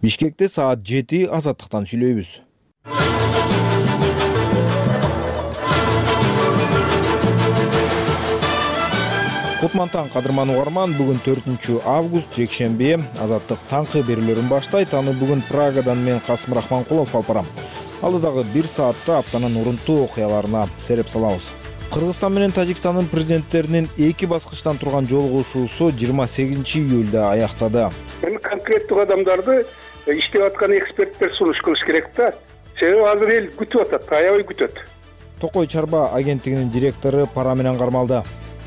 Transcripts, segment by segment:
Бишкекте саат 7 азаттыктан сүйлөйбүз. Кутмантан кадырман угарман, бүгүн 4 август жекшемби. Азаттык таңкы берүүлөрүн баштайт. Аны бүгүн Прагадан мен Касым Рахманкулов алып барам. Алдыдагы 1 саатта аптанын урунтуу окуяларына сереп салабыз. Кыргызстан менен Тажикстандын президенттеринин 2 баскычтан турган жолугушуусу 28 июлда аяктады. Эми конкреттүү адамдарды иштеп аткан эксперттер сунуш кылыш керек да. Себеби азыр эл күтүп атат, аябай күтөт. Токой Чарба агенттигинин директору пара менен кармалды.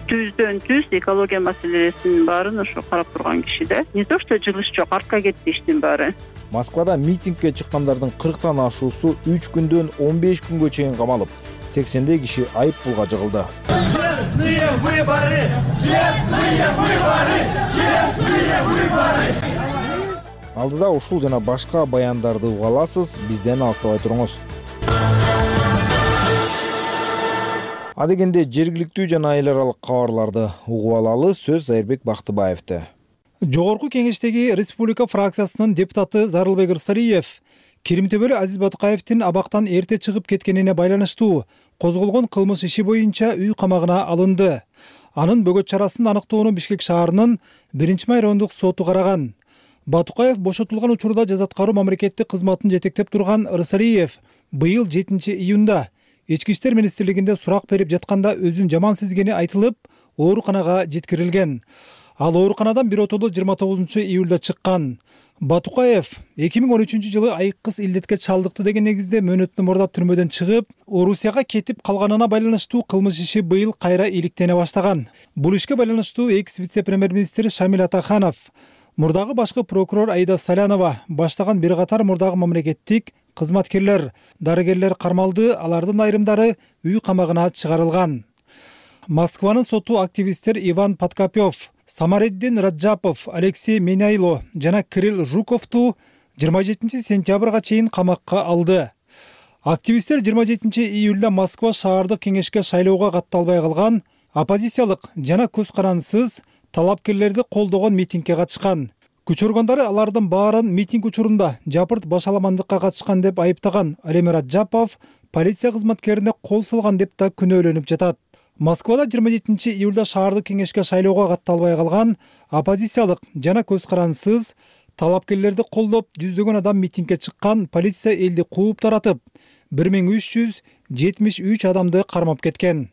100% экология маселесинин баарын ошо карап турган киши да. Не то что жылыш жок, артка кетти иштин баары. Москвада митингге чыккандардын 40тан ашуусу 3 күндөн 15 күнгө чейин камалып, 80дей киши айып пулга жыгылды. Честные выборы! Честные выборы! Честные выборы! Алдыда ушул жана башка баяндарды уга аласыз, бизден алыстабай туруңуз. Адегенде жергиликтүү жана эл аралык кабарларды угуп алалы. Сөз Айырбек Бактыбаевде. Жогорку кеңештеги республика фракциясынын депутаты Зарылбек Рысалиев Кирим Төбөлү Азиз Батукаевдин абактан эрте чыгып кеткенине байланыштуу козголгон кылмыш иши боюнча үй камагына алынды. Анын бөгөт чарасын аныктоону Бишкек шаарынын 1-май райондук соту караган. Батукаев бошотулган учурда жазаткаруу мамлекеттик кызматын жетектеп турган Рысалиев быйыл 7 июнда Ички иштер министрлигинде сурак берип жатканда өзүн жаман сезгени айтылып, ооруканага жеткирилген. Ал ооруканадан биротоло 29 июлда чыккан. Батукаев 2013-жылы айыккыс илдетке чалдыкты деген негизде мөөнөтүнө мурдап түрмөдөн чыгып, Орусияга кетип калганына байланыштуу кылмыш иши быйыл кайра иликтене баштаган. Бул ишке байланыштуу экс-вице-премьер-министр Шамил Атаханов, мурдагы башкы прокурор Аида Салянова баштаган бир катар мурдагы мамлекеттик кызматкерлер, дарыгерлер кармалды, алардын айрымдары үй камагына чыгарылган. Москванын соту активисттер Иван Подкопёв, Самареддин Раджапов, Алексей Меняйло жана Кирилл Жуковту 27 сентябрга чейин камакка алды. Активисттер 27 июлда Москва шаардык кеңешке шайлоого катталбай калган оппозициялык жана көз карансыз талапкерлерди колдогон митингге катышкан. Күч органдары алардын баарын митинг учурунда жапырт башаламандыкка катышкан деп айыптаган. Ал эми Раджапов полиция кызматкерине кол салган деп да күнөөлөнүп жатат. Москвада 27 июлда шаардык кеңешке шайлоого катталбай калган оппозициялык жана көз карансыз талапкерлерди колдоп жүздөгөн адам митингге чыккан. Полиция элди кууп таратып, 1373 адамды кармап кеткен.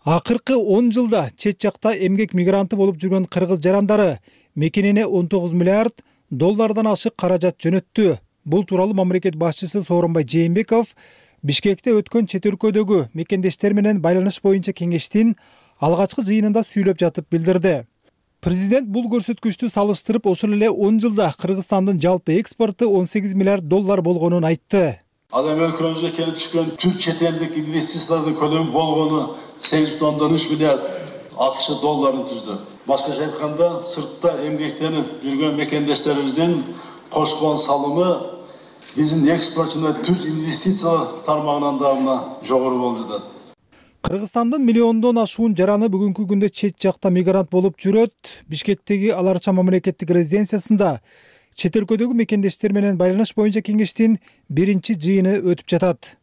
Акыркы 10 жылда чет жакта эмгек мигранты болуп жүргөн кыргыз жарандары мекенине 19 миллиард доллардан ашык каражат жөнөттү. Бул тууралуу мамлекет башчысы Сооронбай Жээнбеков Бишкекте өткөн чет өлкөдөгү мекендештер менен байланыш боюнча кеңештин алгачкы жыйынында сүйлөп жатып билдирди. Президент бул көрсөткүчтү салыштырып, ошол эле 10 жылда Кыргызстандын жалпы экспорту 18 миллиард доллар болгонун айтты. Ал эми өлкөбүзгө келип түшкөн түрк чет элдик инвестициялардын көлөмү болгону 8,3 миллиард АКШ долларын түздү. Башкача айтканда, сыртта эмгектенип жүргөн мекендештерибиздин кошкон салымы биздин экспортчуна түз инвестиция тармагынан да жогору болуп жатат. Кыргызстандын миллиондон ашуун жараны бүгүнкү күндө чет жакта мигрант болуп жүрөт. Бишкектеги Аларча мамлекеттик резиденциясында чет өлкөдөгү мекендештер менен байланыш боюнча кеңештин 1-чи жыйыны өтүп жатат.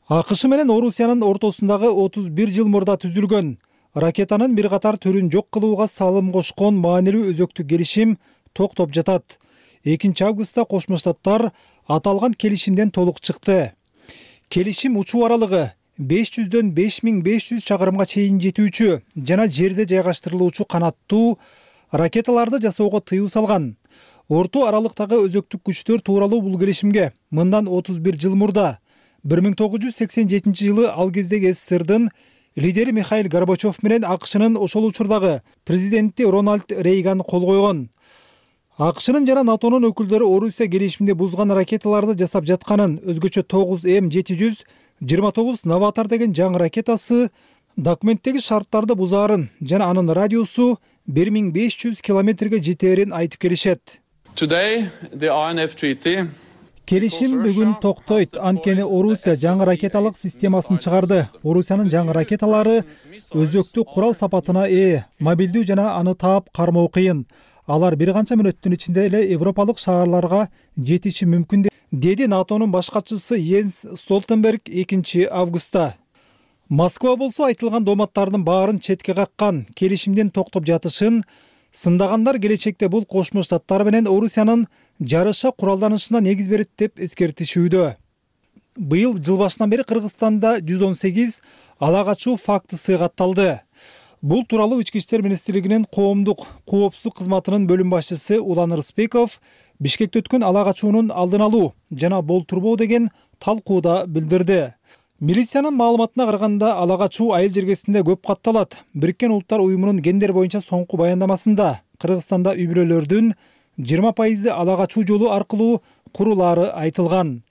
АКШ менен Орусиянын ортосундагы 31 жыл мурда түзүлгөн ракетанын бир катар түрүн жок кылууга салым кошкон маанилүү өзөктүк келишим токтоп жатат. 2 августта Кошмо Штаттар аталган келишимден толук чыкты. Келишим учуу аралыгы 500дөн 5500 чакырымга чейин жетүүчү жана жерде жайгаштырылуучу канаттуу ракеталарды жасоого тыюу салган. Орто аралыктагы өзөктүк күчтөр тууралуу бул келишимге мындан 31 жыл мурда 1987 жылы ал кездеги СССРдын лидери Михаил Горбачев менен АКШнын ошол учурдагы президенти Рональд Рейган кол койгон. АКШнын жана НАТОнун өкүлдөрү Орусия келишимди бузган ракеталарды жасап жатканын, өзгөчө 9М729 Новатор деген жаңы ракетасы документтеги шарттарды бузаарын жана анын радиусу 1500 километрге жетээрин айтып келишет. Келишим бүгүн токтойт, анткени Орусия жаңы ракеталык системасын чыгарды. Орусиянын жаңы ракеталары өзөктүү курал сапатына ээ, мобилдүү жана аны таап кармоо кыйын. Алар бир канча мүнөттүн ичинде эле европалык шаарларга жетиши мүмкүн, деди НАТОнун баш катчысы Йенс Столтенберг 2 августта. Москва болсо айтылган дооматтардын баарын четке каккан, келишимден токтоп жатышын, сындагандар келечекте бул Кошмо Штаттар менен Орусиянын жарыша куралданышына негиз берет деп эскертишүүдө. Быйыл жыл башынан бери Кыргызстанда 118 ала качуу фактысы катталды. Бул тууралуу Ички иштер министрлигинин коомдук коопсуздук кызматынын бөлүм башчысы Улан Рыспеков Бишкекте өткөн ала качуунун алдын алуу жана болтурбоо деген талкууда билдирди. Милициянын маалыматына караганда ала качуу айыл жергесинде көп катталат. Бириккен Улуттар уюмунун гендер боюнча соңку баяндамасында Кыргызстанда үй-бүлөлөрдүн 20% ала качуу жолу аркылуу курулаары айтылган.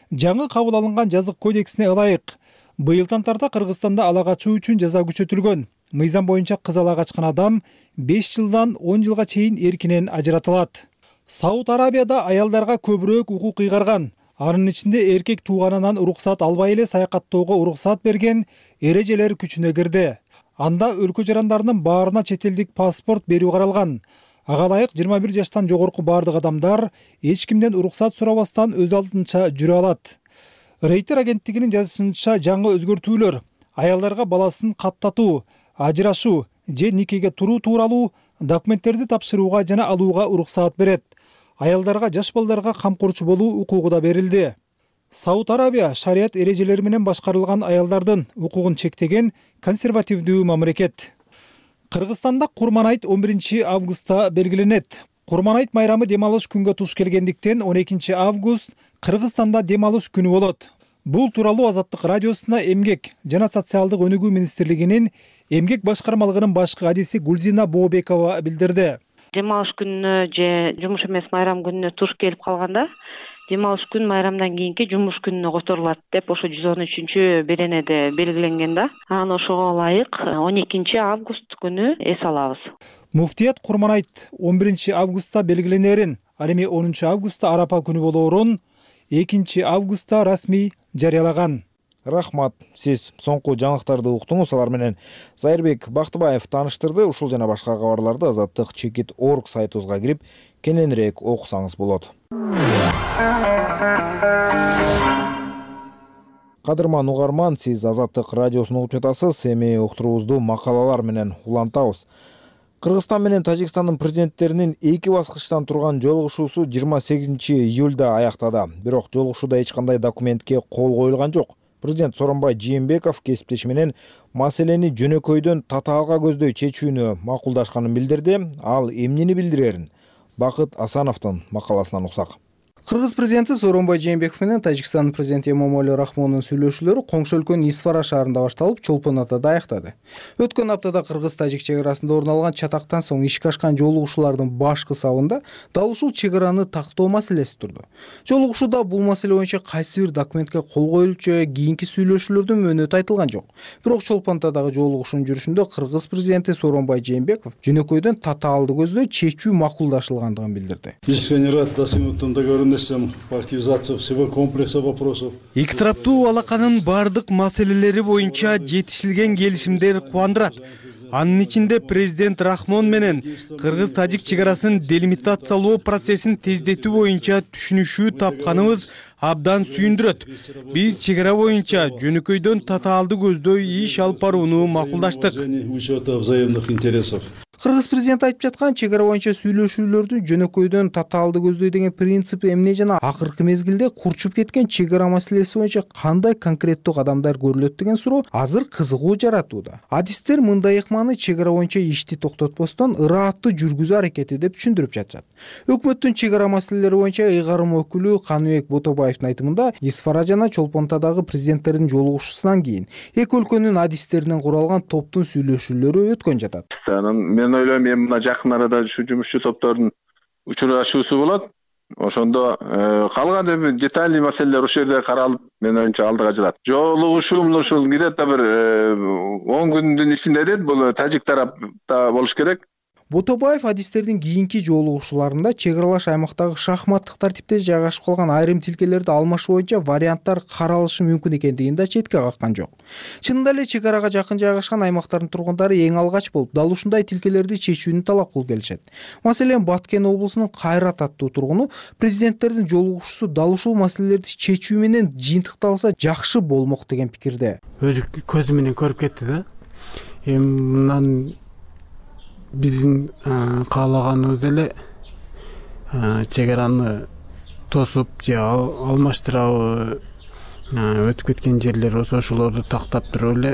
Жаңы кабыл алынган жазык кодексине ылайык быйылдан тарта Кыргызстанда ала качуу үчүн жаза күчөтүлгөн. Мыйзам боюнча кыз ала качкан адам 5 жылдан 10 жылга чейин эркинен ажыратылат. Сауд Арабияда аялдарга көбүрөөк укук кыйгарган. Анын ичинде эркек тууганынан уруксат албай эле саякаттоого уруксат берген эрежелер күчүнө кирди. Анда өлкө жарандарынын баарына чет элдик паспорт берүү каралган. Ага ылайык 21 жаштан жогорку бардык адамдар эч кимден уруксат сурабастан өз алдынча жүрө алат. Рейтер агенттигинин жазышынча жаңы өзгөртүүлөр аялдарга баласын каттатуу, ажырашуу же никеге туруу тууралуу документтерди тапшырууга жана алууга уруксаат берет. Аялдарга жаш балдарга камкорчу болуу укугу да берилди. Сауд Арабия шарият эрежелери менен башкарылган аялдардын укугун чектеген консервативдүү мамлекет. Кыргызстанда Курман айт 11 августта белгиленет. Курман айт майрамы дем алыш күнгө туш келгендиктен 12 август Кыргызстанда дем алыш күнү болот. Бул тууралуу Азаттык радиосуна Эмгек жана социалдык өнүгүү министрлигинин эмгек башкармалыгынын башкы адиси Гулзина Бообекова билдирди. Дем алыш күнүнө же жумуш эмес майрам күнүнө туш келип калганда дем алыш күн майрамдан кийинки жумуш күнүнө которулат деп ошо 113 беренеде белгиленген да. Анан ошого ылайык 12 август күнү эс алабыз. Муфтият Курман айт 11 августта белгиленерин, ал эми 10 августта Арапа күнү болоорун 2 августта расмий жарыялаган. Рахмат, сиз соңку жаңылыктарды уктуңуз. Алар менен Зайырбек Бактыбаев тааныштырды. Ушул жана башка кабарларды Азаттык.org сайтыбызга кирип кененирээк окусаңыз болот. Кадырман угарман, сиз Азаттык радиосун угуп жатасыз. Эми уктуруубузду макалалар менен улантабыз. Кыргызстан менен Тажикстандын президенттеринин эки баскычтан турган жолугушуусу 28 июлда аяктады. Бирок жолугушууда эч кандай документке кол коюлган жок. Президент Сооронбай Жээнбеков кесиптеши менен маселени жөнөкөйдөн татаалга көздөй чечүүнү макулдашканын билдирди. Ал эмнени билдирерин Бакыт Асановдун макаласынан уксак. Кыргыз президенти Сооронбай Жээнбеков менен Тажикстандын президенти Эмомали Рахмондун сүйлөшүүлөрү коңшу өлкөнүн Исфара шаарында башталып, Чолпон Атада аяктады. Өткөн аптада Кыргыз-Тажик чек арасында орун алган чатактан соң ишке ашкан жолугушуулардын башкы сабында дал ушул чек араны тактоо маселеси турду. Жолугушууда бул маселе боюнча кайсы бир документке кол коюлчу, кийинки сүйлөшүүлөрдүн мөөнөтү айтылган жок. Бирок Чолпон Атадагы жолугушуунун жүрүшүндө Кыргыз президенти Сооронбай Жээнбеков жөнөкөйдөн татаалды көздөй чечүү макулдашылгандыгын билдирди. Искренне рад достигнутым договоренностям по активизации всего комплекса вопросов. Эки тараптуу алаканын бардык маселелери боюнча жетишилген келишимдер кубандырат. Анын ичинде президент Рахмон менен Кыргыз-Тажик чек арасын делимитациялоо процессин тездетүү боюнча түшүнүшүү тапканыбыз абдан сүйүндүрөт. Биз чек ара боюнча жөнөкөйдөн татаалды көздөй иш алып барууну макулдаштык. Учета взаимных интересов. Кыргыз президенти айтып жаткан чек ара боюнча сүйлөшүүлөрдү жөнөкөйдөн татаалды көздөй деген принцип эмне жана акыркы мезгилде курчуп кеткен чек ара маселеси боюнча кандай конкреттүү кадамдар көрүлөт деген суроо азыр кызыгуу жаратууда. Адистер мындай ыкманы чек ара боюнча ишти токтотпостон ырааттуу жүргүзүү аракети деп түшүндүрүп жатышат. Өкмөттүн чек ара маселелери боюнча ыйгарым өкүлү Каныбек Ботобаевдин айтымында Исфара жана Чолпон Атадагы президенттердин жолугушуусунан кийин эки өлкөнүн адистеринен куралган топтун сүйлөшүүлөрү өткөн жатат. Мен ойлойм, эми мына жакын арада ушу жумушчу топтордун учурашуусу болот. Ошондо калган эми детальный маселелер ошол жерде каралып, мен оюмча алдыга жылат. Жолугушуу ушул где-то бир 10 күндүн ичинде дейт, бул Тажик тарапта болуш керек. Ботобаев адистердин кийинки жолугушууларында чек аралаш аймактагы шахматтык тартипте жайгашып калган айрым тилкелерди алмашуу боюнча варианттар каралышы мүмкүн экендигин да четке каккан жок. Чынында эле чек арага жакын жайгашкан аймактардын тургундары эң алгач болуп дал ушундай тилкелерди чечүүнү талап кылып келишет. Маселен, Баткен облусунун Кайрат аттуу тургуну президенттердин жолугушуусу дал ушул маселелерди чечүү менен жыйынтыкталса жакшы болмок деген пикирде. Өзү көзү менен көрүп кетти да. Мындан биздин каалаганыбыз эле чек араны тосуп же алмаштырабы, өтүп кеткен жерлер ошолорду тактап туруп эле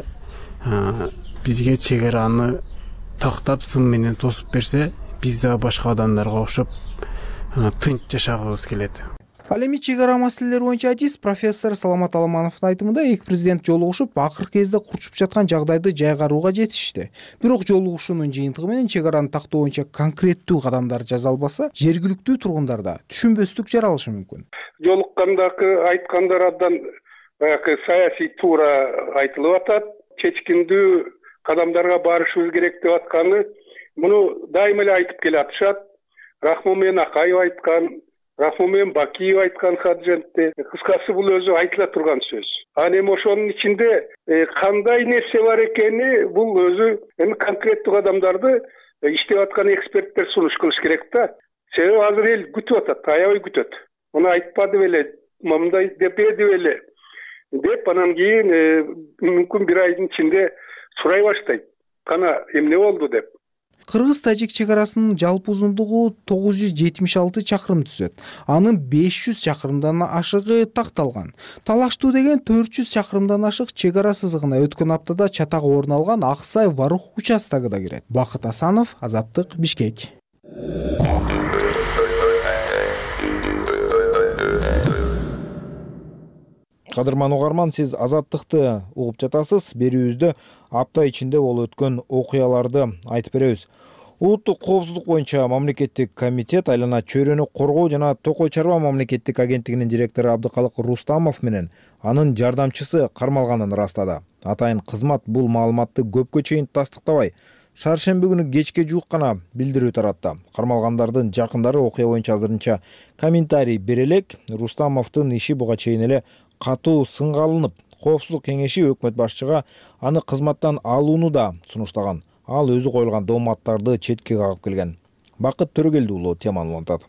бизге чек араны тактап сым менен тосуп берсе, биз да башка адамдарга окшоп тынч жашагыбыз келет. Ал эми чек ара маселелери боюнча адис профессор Саламат Аламановдун айтымында эки президент жолугушуп акыркы кезде курчуп жаткан жагдайды жайгарууга жетишти. Бирок жолугушуунун жыйынтыгы менен чек араны тактоо боюнча конкреттүү кадамдар жасалбаса, жергиликтүү тургундарда түшүнбөстүк жаралышы мүмкүн. Жолуккандагы айткандар абдан баягы саясий туура айтылып атат. Чечкиндүү кадамдарга барышыбыз керек деп атканы муну дайыма эле айтып келатышат. Рахмон менен Акаев айткан, Рахмон менен Бакиев айткан Хаджентте. Кыскасы бул өзү айтыла турган сөз. Аны эми ошонун ичинде кандай нерсе бар экени бул өзү эми конкреттүү адамдарды иштеп аткан эксперттер сунуш кылыш керек да. Себеби азыр эл күтүп атат, аябай күтөт. Муну айтпады беле, мындай депеди беле деп анан кийин мүмкүн бир айдын ичинде сурай баштайт. Кана эмне болду деп. Кыргыз-тажик чек арасынын жалпы узундугу 976 чакырым түзөт. Анын 500 чакырымдан ашыгы такталган. Талаштуу деген 400 чакырымдан ашык чек ара сызыгына өткөн аптада чатак орун алган Аксай-Варух участогу да кирет. Бакыт Асанов, Азаттык, Бишкек. Кадырман угарман, сиз Азаттыкты угуп жатасыз. Берүүбүздө апта ичинде болуп өткөн окуяларды айтып беребиз. Улуттук коопсуздук боюнча мамлекеттик комитет айлана чөйрөнү коргоо жана Токой Чарба мамлекеттик агенттигинин директору Абдыкалык Рустамов менен анын жардамчысы кармалганын ырастады. Атайын кызмат бул маалыматты көпкө чейин тастыктабай, шаршемби күнү кечке жуук гана билдирүү таратты. Кармалгандардын жакындары окуя боюнча азырынча комментарий бере элек. Рустамовдун иши буга чейин эле катуу сынга алынып, Коопсуздук кеңеши өкмөт башчыга аны кызматтан алууну да сунуштаган. Ал өзү коюлган дооматтарды четке кагып келген. Бакыт Төрөгелди уулу теманы улантат.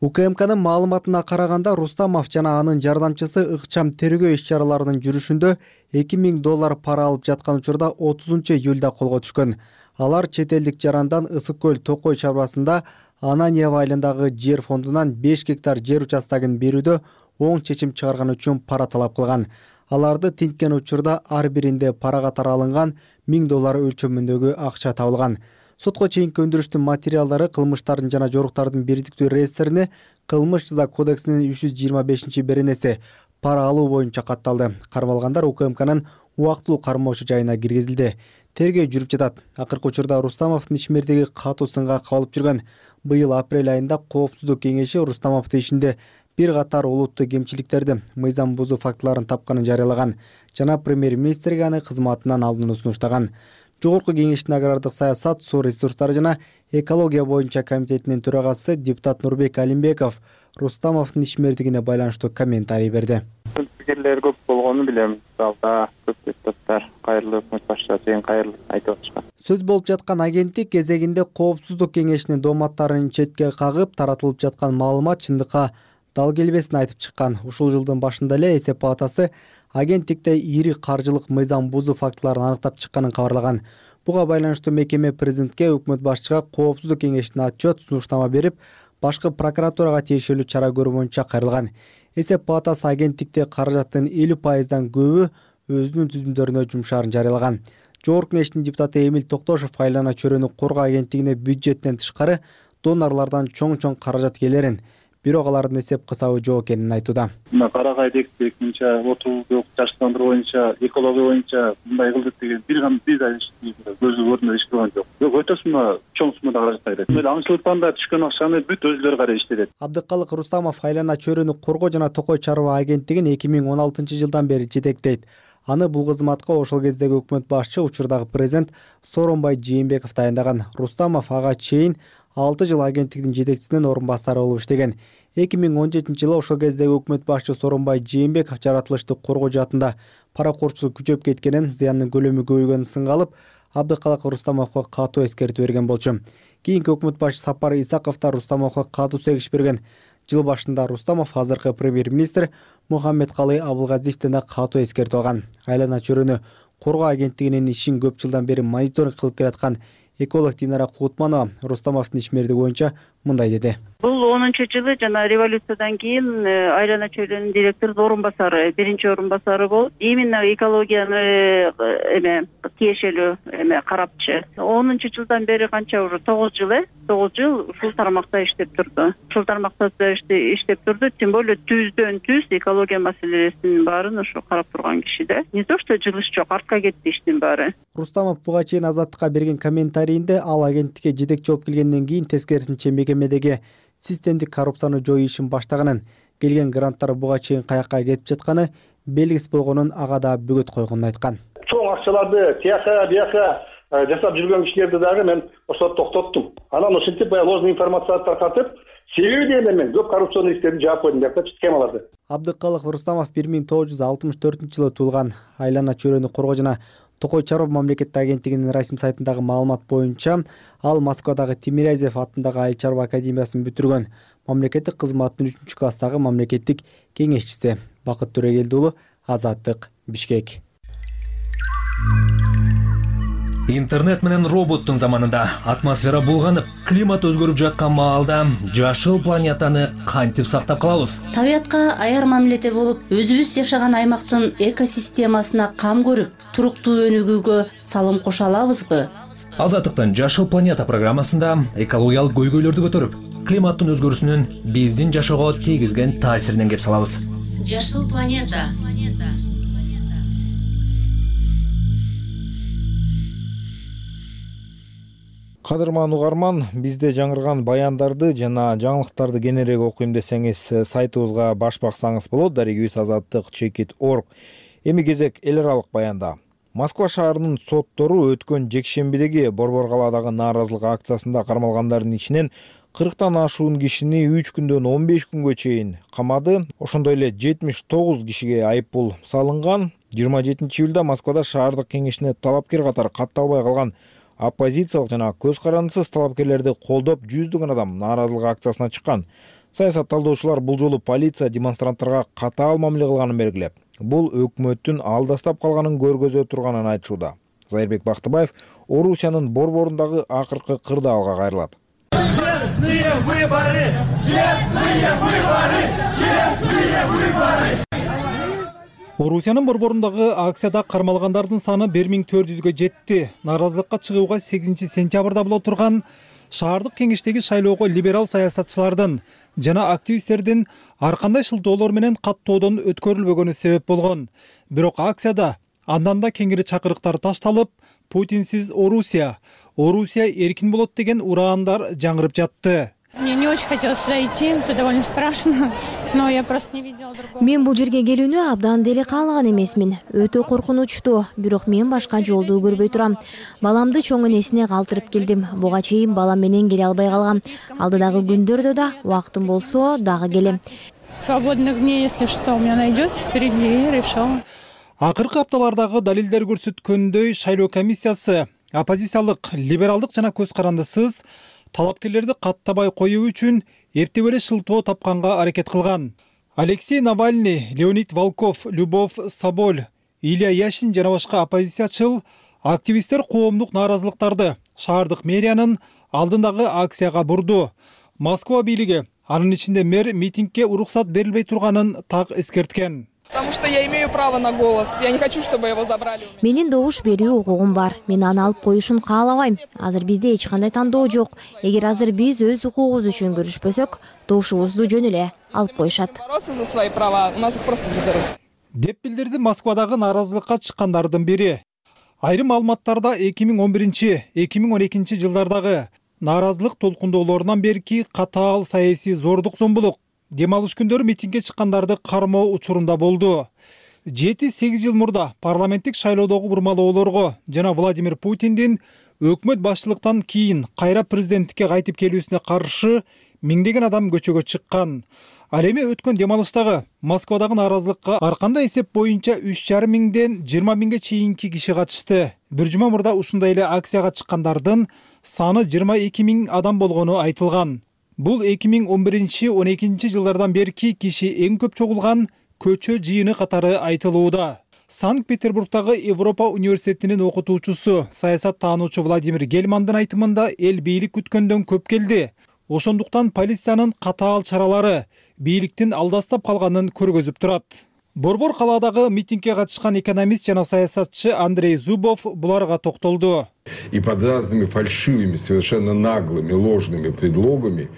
УКМКнын маалыматына караганда Рустамов жана анын жардамчысы ыкчам тергөө иш-чараларынын жүрүшүндө $2000 пара алып жаткан учурда 30-июлда колго түшкөн. Алар чет элдик жарандан Ысык көл Токой чарбасында Ананьево айылындагы жер фондунан 5 гектар жер участогун берүүдө оң чечим чыгарган үчүн пара талап кылган. Аларды тинткен учурда ар биринде пара катары алынган $1000 өлчөмүндөгү акча табылган. Сотко чейинки өндүрүштүн материалдары кылмыштардын жана жоруктардын бирдиктүү реестрине Кылмыш жаза кодексинин 325-беренеси пара алуу боюнча катталды. Кармалгандар УКМКнын убактылуу кармоочу жайына киргизилди. Тергөө жүрүп жатат. Акыркы учурда Рустамовдун ишмердиги катуу сынга кабылып жүргөн. Быйыл апрель айында Коопсуздук кеңеши Рустамовдун ишинде бир катар олуттуу кемчиликтерди, мыйзам бузуу фактыларын тапканын жарыялаган жана премьер-министрге аны кызматынан алууну сунуштаган. Жогорку кеңештин агрардык саясат, суу ресурстары жана экология боюнча комитетинин төрагасы депутат Нурбек Алимбеков Рустамовдун ишмердигине байланыштуу комментарий берди. Пикирлер көп болгону билем. Залда көп депутаттар кайрылуу өкмөт башчыга чейин кайрылып айтып атышкан. Сөз болуп жаткан агенттик кезегинде Коопсуздук кеңешинин дооматтарын четке кагып, таратылып жаткан маалымат чындыкка дал келбесин айтып чыккан. Ушул жылдын башында эле эсеп палатасы агенттикте ири каржылык мыйзам бузуу фактыларын аныктап чыкканын кабарлаган. Буга байланыштуу мекеме президентке, өкмөт башчыга Коопсуздук кеңешине отчет, сунуштама берип, башкы прокуратурага тиешелүү чара көрүү боюнча кайрылган. Эсеп палатасы агенттикте каражаттын 50%дан көбү өзүнүн түзүмдөрүнө жумшаарын жарыялаган. Жогорку кеңештин депутаты Эмил Токтошов айлана чөйрөнү коргоо агенттигине бюджеттен тышкары донорлордон чоң каражат келерин, бирок алардын эсеп кысабы жок экенин айтууда. Мына Карагай дектик боюнча, отуу жаштандыруу боюнча, экология боюнча мындай кылдык деген бир да көзү көрүнө иш кылган жок. Өтө сумма, чоң суммада каражат кайрат. Мына аңчылыктан да түшкөн акчаны бүт өзүлөрү карай иштетет. Абдыкалык Рустамов айлана чөйрөнү коргоо жана Токой Чарба агенттигин 2016 жылдан бери жетектейт. Аны бул кызматка ошол кездеги өкмөт башчы, учурдагы президент Сооронбай Жээнбеков дайындаган. Рустамов ага чейин 6 жыл агенттиктин жетекчисинин орун басары болуп иштеген. 2017-жылы ошол кездеги өкмөт башчы Сооронбай Жээнбеков жаратылышты коргоо жаатында паракорчулук күчөп кеткенин, зыяндын көлөмү көбөйгөнүн сынга алып, Абдыкалак Рустамовго катуу эскертүү берген болчу. Кийинки өкмөт башчы Сапар Исаков да Рустамовго катуу сегиш берген. Жыл башында Рустамов азыркы премьер-министр Мухаммедкалый Абылгазиевден да катуу эскертүү алган. Айлана чөйрөнү коргоо агенттигинин ишин көп жылдан бери мониторинг кылып келаткан эколог Динара Кутманова Рустамовдун ишмердиги боюнча мындай деди. Бул 10-жылы жана революциядан кийин Айлана чөйрөнүнүн директорунун орун басары, биринчи орун басары болуп, именно экологияны тиешелүү карапчы. 10-жылдан бери канча уже 9 жыл ушул тармакта иштеп турду. Ушул тармакта иштеп турду, тем более түздөн түз экология маселесинин баарын ушу карап турган киши да. Не то что жылыш жок, артка кетти иштин баары. Рустамов буга чейин Азаттыкка берген комментарийинде ал агенттикке жетекчи болуп келгенден кийин тескерисинче мекемедеги системдик коррупцияны жоюу ишин баштаганын, келген гранттар буга чейин каякка кетип жатканы белгисиз болгонун ага да бөгөт койгонун айткан. Чоң акчаларды тияка бияка жасап жүргөн кишилерди дагы мен ошол токтоттум. Анан ушинтип ложный информацияны таркатып, себеби дегенде мен көп коррупционный иштерди жаап койдум деп схемаларды. Абдыкалык Рустамов 1964-жылы туулган. Айлана чөйрөнү коргоо жана Токой Чаров мамлекеттик агенттигинин расмий сайтындагы маалымат боюнча, ал Москвадагы Тимирязев атындагы Айыл чарба академиясын бүтүргөн. Мамлекеттик кызматтын 3-класстагы мамлекеттик кеңешчиси. Бакыт Төрөгелди уулу, Азаттык, Бишкек. Интернет менен роботтун заманында атмосфера булганып, климат өзгөрүп жаткан маалда жашыл планетаны кантип сактап калабыз? Табиятка аяр мамиледе болуп, өзүбүз жашаган аймактын экосистемасына кам көрүп, туруктуу өнүгүүгө салым кошо алабызбы? Азаттыктын Жашыл планета программасында экологиялык көйгөйлөрдү көтөрүп, климаттын өзгөрүүсүнүн биздин жашоого тийгизген таасиринен кеп салабыз. Жашыл планета. Кадырман угарман, бизде жаңырган баяндарды жана жаңылыктарды кененирээк окуйм десеңиз, сайтыбызга баш баксаңыз болот. Дарегибиз azattik.org. Эми кезек эл аралык баянда. Москва шаарынын соттору өткөн жекшембидеги Борбор калаадагы нааразылык акциясында кармалгандардын ичинен 40тан ашуун кишини 3 күндөн 15 күнгө чейин камады. Ошондой эле 79 кишиге айыппул салынган. 27-июлда Москвада шаардык кеңешине талапкер катары катталбай калган оппозициялык жана көз карандысыз талапкерлерди колдоп жүздөгөн адам нааразылык акциясына чыккан. Саясат талдоочулар бул жолу полиция демонстранттарга катаал мамиле кылганын белгилеп, бул өкмөттүн алдастап калганын көргөзө турганын айтышууда. Зайырбек Бактыбаев Орусиянын борборундагы акыркы кырдаалга кайрылат. Честные выборы! Честные выборы! Честные выборы! Орусиянын борборундагы акцияда кармалгандардын саны 1400гө жетти. Нааразылыкка чыгууга 8-сентябрда боло турган шаардык кеңештеги шайлоого либерал саясатчылардын жана активисттердин ар кандай шылтоолор менен каттоодон өткөрүлбөгөнү себеп болгон. Бирок акцияда андан да кеңири чакырыктар ташталып, Путинсиз Орусия, Орусия эркин болот деген ураандар жаңырып жатты. Мне не очень хотелось сюда идти, это довольно страшно, но я просто не видела другого. Мен бул жерге келүүнү абдан деле каалаган эмесмин. Өтө коркунучтуу, бирок мен башка жолду көрбөй турам. Баламды чоң энесине калтырып келдим. Буга чейин балам менен келе албай калгам. Алдыдагы күндөрдө да убактым болсо дагы келем. Свободных дней, если что, у меня найдётся впереди, решила. Акыркы апталардагы далилдер көрсөткөндөй, шайлоо комиссиясы оппозициялык, либералдык жана көз карандысыз талапкерлерди каттабай коюу үчүн эптеп эле шылтоо тапканга аракет кылган. Алексей Навальный, Леонид Волков, Любовь Соболь, Илья Яшин жана башка оппозициячыл активисттер коомдук нааразылыктарды шаардык мэриянын алдындагы акцияга бурду. Москва бийлиги анын ичинде мэр митингге уруксат берилбей турганын так эскерткен. Потому что я имею право на голос. Я не хочу, чтобы его забрали у меня. Менин добуш берүү укугум бар. Мен аны алып коюшун каалабайм. Азыр бизде эч кандай тандоо жок. Эгер азыр биз өз укугубуз үчүн күрөшпөсөк, добушубузду жөн эле алып коюшат. Бороться за свои права, у нас их просто заберут. Деп билдирди Москвадагы нааразылыкка чыккандардын бири. Айрым маалыматтарда 2011-2012 жылдардагы нааразылык толкундоолорунан берки катаал саясий зордук зомбулук дем алыш күндөрү митингге чыккандарды кармоо учурунда болду. 7-8 жыл мурда парламенттик шайлоодогу бурмалоолорго жана Владимир Путиндин өкмөт башчылыктан кийин кайра президенттикке кайтып келүүсүнө каршы миңдеген адам көчөгө чыккан. Ал эми өткөн дем алыштагы Москвадагы нааразылыкка ар кандай эсеп боюнча 3,5 миңден 20 миңге чейинки киши катышты. Бир жума мурда ушундай эле акцияга чыккандардын саны 22 миң адам болгону айтылган. Бул 2011-12 жылдардан берки киши эң көп чогулган көчө жыйыны катары айтылууда. Санкт-Петербургдагы Европа университетинин окутуучусу, саясат таануучу Владимир Гельмандын айтымында эл бийлик күткөндөн көп келди. Ошондуктан полициянын катаал чаралары бийликтин алдастап калганын көргөзүп турат. Борбор калаадагы митингге катышкан экономист жана саясатчы Андрей Зубов буларга токтолду. И под разными фальшивыми, совершенно наглыми, ложными предлогами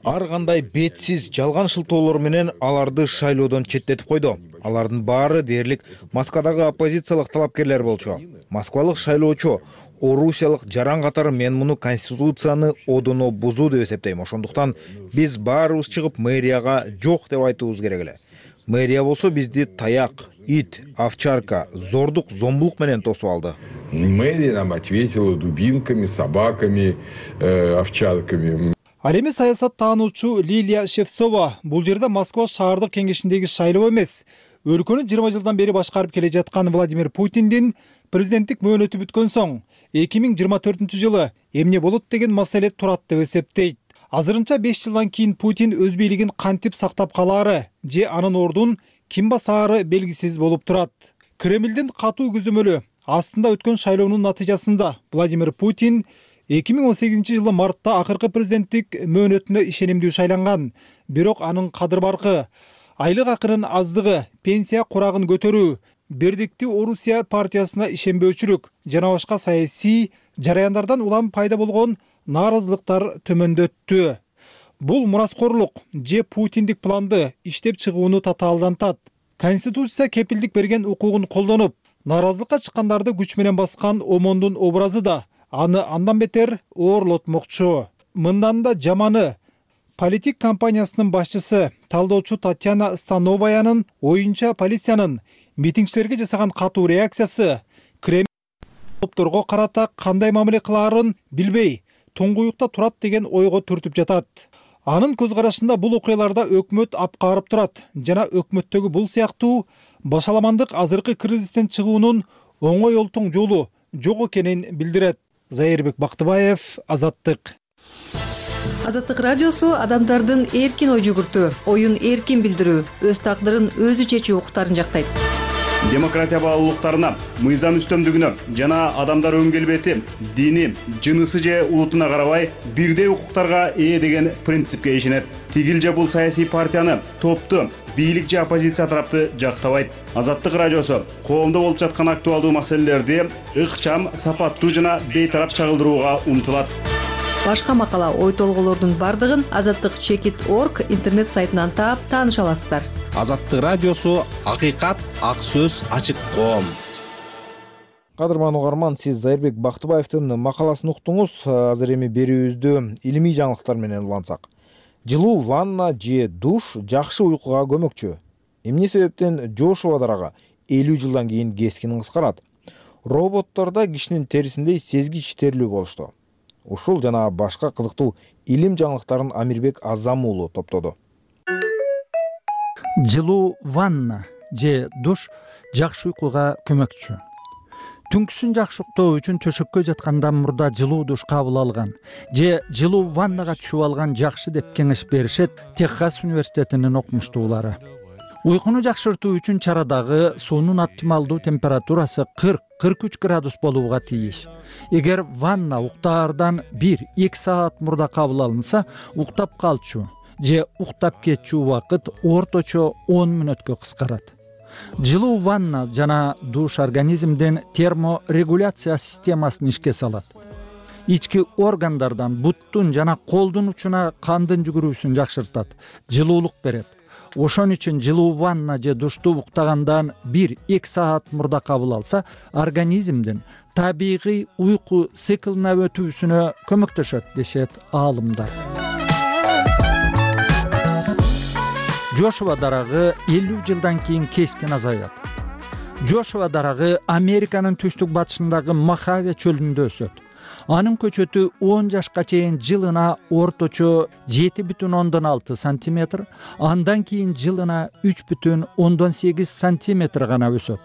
ар кандай бетсиз жалган шылтоолор менен аларды шайлоодон четтетип койду. Алардын баары дээрлик Москвадагы оппозициялык талапкерлер болчу. Москвалык шайлоочу орусиялык жаран катары мен муну конституцияны одоно бузуу деп эсептейм. Ошондуктан биз баарыбыз чыгып мэрияга жок деп айтуубуз керек эле. Мэрия болсо бизди таяк, ит, овчарка, зордук, зомбулук менен тосуп алды. Мэрия нам ответила дубинками, собаками, овчарками. Ал эми саясат таануучу Лилия Шевцова бул жерде Москва шаардык кеңешиндеги шайлоо эмес, өлкөнү 20 жылдан бери башкарып келе жаткан Владимир Путиндин президенттик мөөнөтү бүткөн соң 2024-жылы эмне болот деген маселе турат деп эсептейт. Азырынча 5 жылдан кийин Путин өз бийлигин кантип сактап калаары же анын ордун ким басаары белгисиз болуп турат. Кремлдин катуу көзөмөлү астында өткөн шайлоонун натыйжасында Владимир Путин 2018-жылы мартта акыркы президенттик мөөнөтүнө ишенимдүү шайланган. Бирок анын кадыр баркы, айлык акынын аздыгы, пенсия курагын көтөрүү, Бердикти Орусия партиясына ишенбөөчүлүк жана башка саясий жараяндардан улам пайда болгон нааразылыктар төмөндөттү. Бул мураскорлук же Путиндик планды иштеп чыгууну татаалдантат. Конституция кепилдик берген укугун колдонуп, нааразылыкка чыккандарды күч менен баскан омондун образы да аны андан бетер оорлотмокчу. Мындан да жаманы, политик компаниясынын башчысы талдоочу Татьяна Становаянын оюнча полициянын митингчилерге жасаган катуу реакциясы Кремль топторго карата кандай мамиле кылаарын билбей, туңгуюкта турат деген ойго түртүп жатат. Анын көз карашында бул окуяларда өкмөт апкарып турат жана өкмөттөгү бул сыяктуу башаламандык азыркы кризистен чыгуунун оңой олтоң жолу жок экенин билдирет. Зайырбек Бактыбаев, Азаттык. Азаттык радиосу адамдардын эркин ой жүгүртүү, оюн эркин билдирүү, өз тагдырын өзү чечүү укуктарын жактайт. Демократия баалуулуктарына, мыйзам үстөмдүгүнө жана адамдар өң келбети, дини, жынысы же улутуна карабай бирдей укуктарга ээ деген принципке ишенет. Тигил же бул саясий партияны, топту, бийлик же оппозиция тарапты жактабайт. Азаттык радиосу коомдо болуп жаткан актуалдуу маселелерди ыкчам, сапаттуу жана бейтарап чагылдырууга умтулат. Башка макала, ой толголордун бардыгын azattik.org интернет сайтынан таап тааныша аласыздар. Азаттык радиосу акыйкат, ак сөз, ачык коом. Кадырман угарман, сиз Зайырбек Бактыбаевдин макаласын уктуңуз. Азыр эми берүүбүздү илимий жаңылыктар менен улантсак. Жылуу ванна же душ жакшы уйкуга көмөкчү. Эмне себептен жошуп адарага 50 жылдан кийин кескин кыскарат? Роботтордо кишинин терисиндей сезгич терлүү болушту. Ушул жана башка кызыктуу илим жаңылыктарын Амирбек Азам уулу топтоду. Жылуу ванна же душ жакшы уйкуга көмөкчү. Түнкүсүн жакшы уктоо үчүн төшөккө жаткандан мурда жылуу душ кабыл алган же жылуу ваннага түшүп алган жакшы деп кеңеш беришет Техас университетинин окумуштуулары. Уйкуну жакшыртуу үчүн чарадагы суунун оптималдуу температурасы 40-43 градус болууга тийиш. Эгер ванна уктаардан 1-2 саат мурда кабыл алынса, уктап калчу же уктап кетчү убакыт орточо 10 мүнөткө кыскарат. Жылуу ванна жана душ организмдин терморегуляция системасын ишке салат. Ички органдардан буттун жана колдун учуна кандын жүгүрүүсүн жакшыртат, жылуулук берет. Ошон үчүн жылуу ванна же душту уктагандан 1-2 саат мурда кабыл алса, организмдин табигый уйку циклына өтүүсүнө көмөктөшөт дешет аалымдар. Жошуп адарагы 50 жылдан кийин кескин азаят. Жошуа дарагы Американын түштүк батышындагы Мохаве чөлүндө өсөт. Анын көчөтү 10 жашка чейин жылына орточо 7,6 сантиметр, андан кийин жылына 3,8 сантиметр гана өсөт.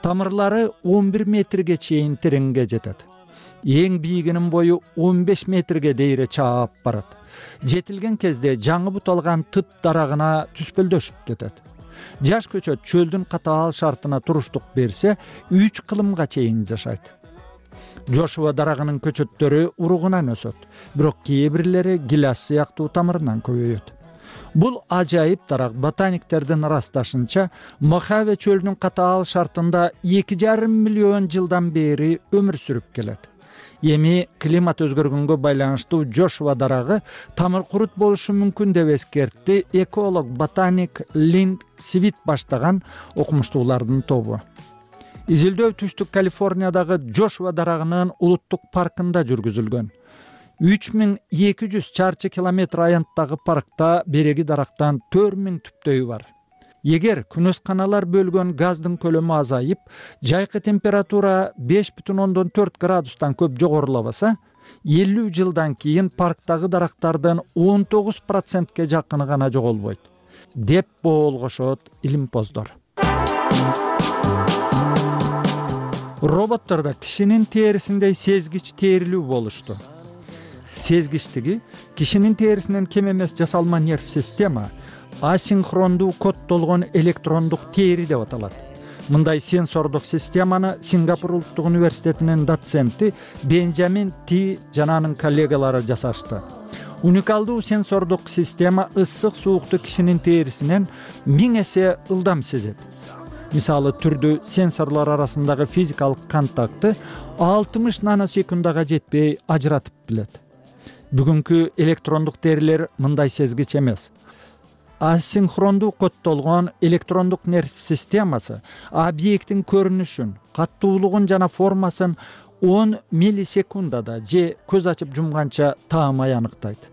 Тамырлары 11 метрге чейин тереңге жетет. Эң бийигинин бою 15 метрге дейре чаап барат. Жетилген кезде жаңы буталган тыт дарагына түспөлдөшүп кетет. Жаш көчөт чөлдүн катаал шартына туруштук берсе, 3 кылымга чейин жашайт. Жошуа дарагынын көчөттөрү уругунан өсөт, бирок кээ бирлери гиляс сыяктуу тамырынан көбөйөт. Бул ажайып дарак ботаниктердин ырасташынча Мохаве чөлүнүн катаал шартында 2,5 миллион жылдан бери өмүр сүрүп келет. Эми климат өзгөргөнгө байланыштуу Жошуа дарагы тамыр курут болушу мүмкүн деп эскертти эколог ботаник Линк Свит баштаган окумуштуулардын тобу. Изилдөө түштүк Калифорниядагы Жошуа дарагынын улуттук паркында жүргүзүлгөн. 3200 чарчы километр аянттагы паркта береги дарактан 4000 түптөйү бар. Эгер күнөсканалар бөлгөн газдын көлөмү азайып, жайкы температура 5,4 градустан көп жогорулабаса, 50 жылдан кийин парктагы дарактардын 19%ке жакыны гана жоголбойт, деп боолгошот илимпоздор. Роботтордо кишинин терисиндей сезгич терилүү болушту. Сезгичтиги кишинин терисинен кем эмес жасалма нерв система асинхрондуу коддолгон электрондук тери деп аталат. Мындай сенсордук системаны Сингапур улуттук университетинин доценти Бенджамин Ти жана анын коллегалары жасашты. Уникалдуу сенсордук система ысык суукту кишинин терисинен 1000 эсе ылдам сезет. Мисалы түрдүү сенсорлор арасындагы физикалык контакты 60 наносекундага жетпей ажыратып билет. Бүгүнкү электрондук терилер мындай сезгич эмес. Асинхрондуу коддолгон электрондук нерв системасы объекттин көрүнүшүн, каттуулугун жана формасын 10 миллисекундада же көз ачып жумганча таамай аныктайт.